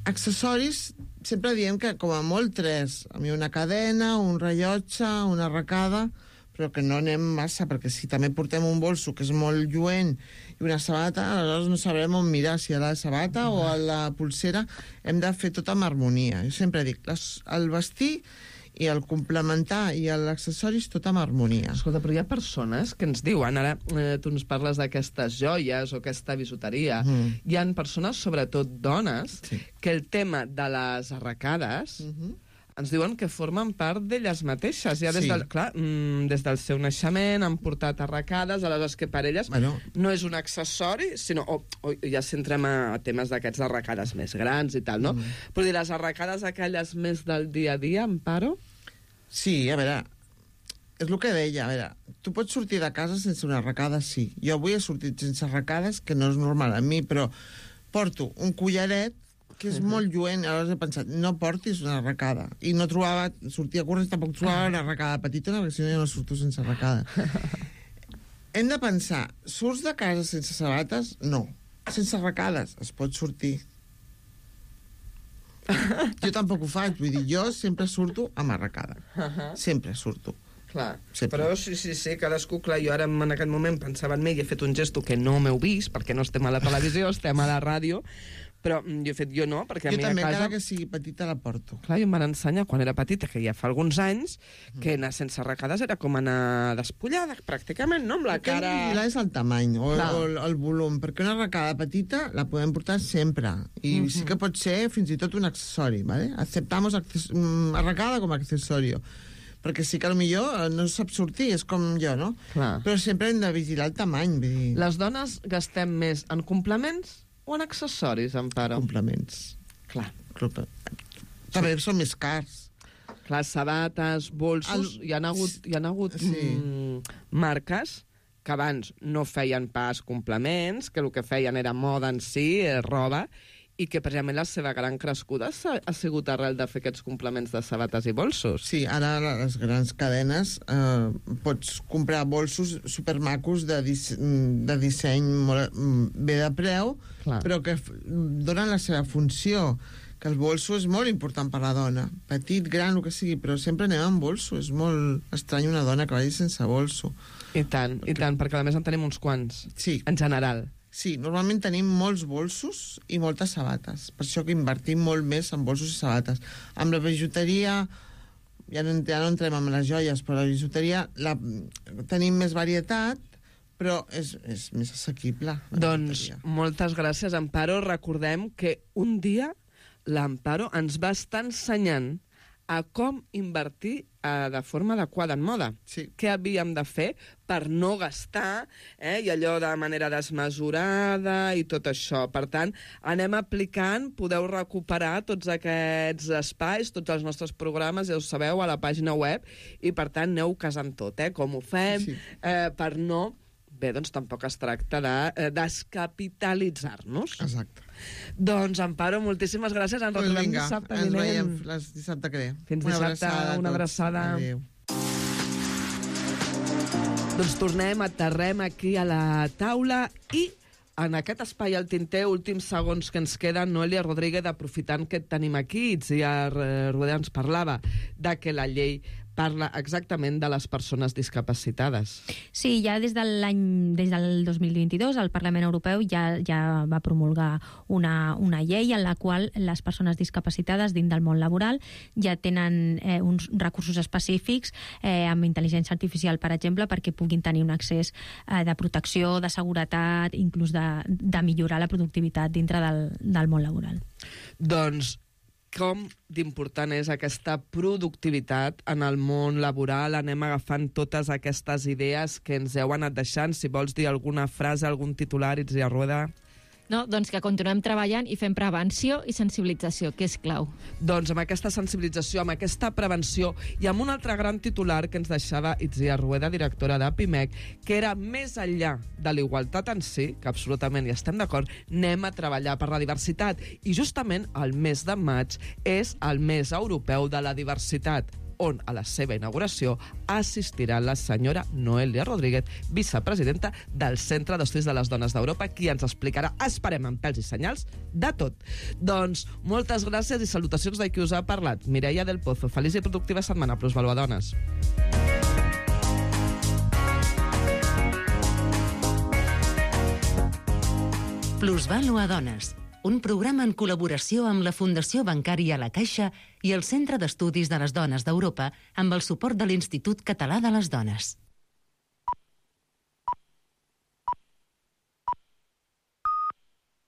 accessoris, sempre diem que com a molt 3. A mi una cadena, un rellotge, una arracada, però que no anem massa, perquè si també portem un bolso que és molt lluent i una sabata, aleshores no sabrem on mirar, si a la sabata o a la pulsera. Hem de fer tot amb harmonia. Jo sempre dic, el vestir i el complementar i l'accessoris tot amb harmonia. Escolta, però hi ha persones que ens diuen, ara tu ens parles d'aquestes joies o aquesta bisuteria, hi ha persones, sobretot dones, que el tema de les arracades ens diuen que formen part d'elles mateixes. Ja des des del seu naixement han portat arracades, aleshores que per elles no és un accessori, sinó, ja si entrem a temes d'aquests arracades més grans i tal, no? Però dir, les arracades aquelles més del dia a dia, Amparo? Sí, a veure, és el que deia, a veure, tu pots sortir de casa sense una arracada, sí. Jo avui he sortit sense arracades, que no és normal a mi, però porto un collaret que és molt lluent, aleshores he pensat, no portis una arracada. I no trobava, sortia a córrer, tampoc trobava una arracada petita, perquè si no jo no surto sense arracada. Hem de pensar, surts de casa sense sabates? No. Sense arracades, es pot sortir. Jo tampoc ho faig, vull dir, jo sempre surto amb arracada. Sempre surto. Clar, però sí, cadascú, clar, jo ara en aquest moment pensava en mi i he fet un gesto que no m'heu vist, perquè no estem a la televisió, estem a la ràdio, però jo no, perquè a mi a casa... Jo també, encara que sigui petita, la porto. Clar, jo em van ensenyar, quan era petita, que ja fa alguns anys, que anar sense arracades era com anar despullada, pràcticament, no? Amb la cara... El que hem de és el tamany o el volum, perquè una arracada petita la podem portar sempre, i sí que pot ser fins i tot un accessori, ¿vale? Aceptamos arracada com a accesorio, perquè sí que potser no sap sortir, és com jo, no? Clar. Però sempre hem de vigilar el tamany. Vull dir... Les dones gastem més en complements o en accessoris, Amparo? Complements. Clar. També són més cars. Clar, sabates, bolsos... Hi ha hagut marques que abans no feien pas complements, que el que feien era moda en si, roba, i que precisament la seva gran crescuda ha sigut arrel de fer aquests complements de sabates i bolsos. Sí, ara les grans cadenes pots comprar bolsos supermacos de disseny molt bé de preu, però que donen la seva funció, que el bolso és molt important per la dona. Petit, gran, el que sigui, però sempre anem amb bolso. És molt estrany una dona que vagi sense bolso. I tant, perquè a més en tenim uns quants. Sí. En general. Sí, normalment tenim molts bolsos i moltes sabates. Per això que invertim molt més en bolsos i sabates. Amb la bijuteria, ja no entrem amb les joies, però la bijuteria tenim més varietat, però és més assequible. Doncs moltes gràcies, Amparo. Recordem que un dia l'Amparo ens va estar ensenyant a com invertir de forma adequada en moda. Sí. Què havíem de fer per no gastar, i allò de manera desmesurada i tot això. Per tant, anem aplicant, podeu recuperar tots aquests espais, tots els nostres programes, ja ho sabeu, a la pàgina web, i per tant aneu casant tot, com ho fem, per no... Bé, doncs tampoc es tracta de descapitalitzar-nos. Exacte. Doncs, Amparo, moltíssimes gràcies. Ens retrobem dissabte vinent. Ens veiem dissabte que ve. Fins dissabte, una abraçada. Adéu. Doncs tornem, aterrem aquí a la taula i en aquest espai al tinter, últims segons que ens queden, Noelia Rodríguez, aprofitant que et tenim aquí, Itziar Rodé ens parlava de que la llei parla exactament de les persones discapacitades. Sí, ja des del 2022 el Parlament Europeu ja va promulgar una llei en la qual les persones discapacitades dins del món laboral ja tenen uns recursos específics amb intel·ligència artificial, per exemple, perquè puguin tenir un accés de protecció, de seguretat, inclús de millorar la productivitat dintre del món laboral. Doncs com d'important és aquesta productivitat en el món laboral. Anem agafant totes aquestes idees que ens heu anat deixant. Si vols dir alguna frase, algun titular, Itzia Rueda. No, doncs que continuem treballant i fem prevenció i sensibilització, que és clau. Doncs amb aquesta sensibilització, amb aquesta prevenció i amb un altre gran titular que ens deixava Itzia Rueda, directora d'APIMEC, que era més enllà de la igualtat en si, que absolutament hi estem d'acord, anem a treballar per la diversitat. I justament el mes de maig és el mes europeu de la diversitat, on a la seva inauguració assistirà la senyora Noelia Rodríguez, vicepresidenta del Centre d'Estudis de les Dones d'Europa, qui ens explicarà, esperem amb pèls i senyals, de tot. Doncs moltes gràcies i salutacions de qui us ha parlat. Mireia del Pozo, feliç i productiva setmana, Plusvalua Dones. Plusvalua Dones, un programa en col·laboració amb la Fundació Bancària La Caixa i el Centre d'Estudis de les Dones d'Europa amb el suport de l'Institut Català de les Dones.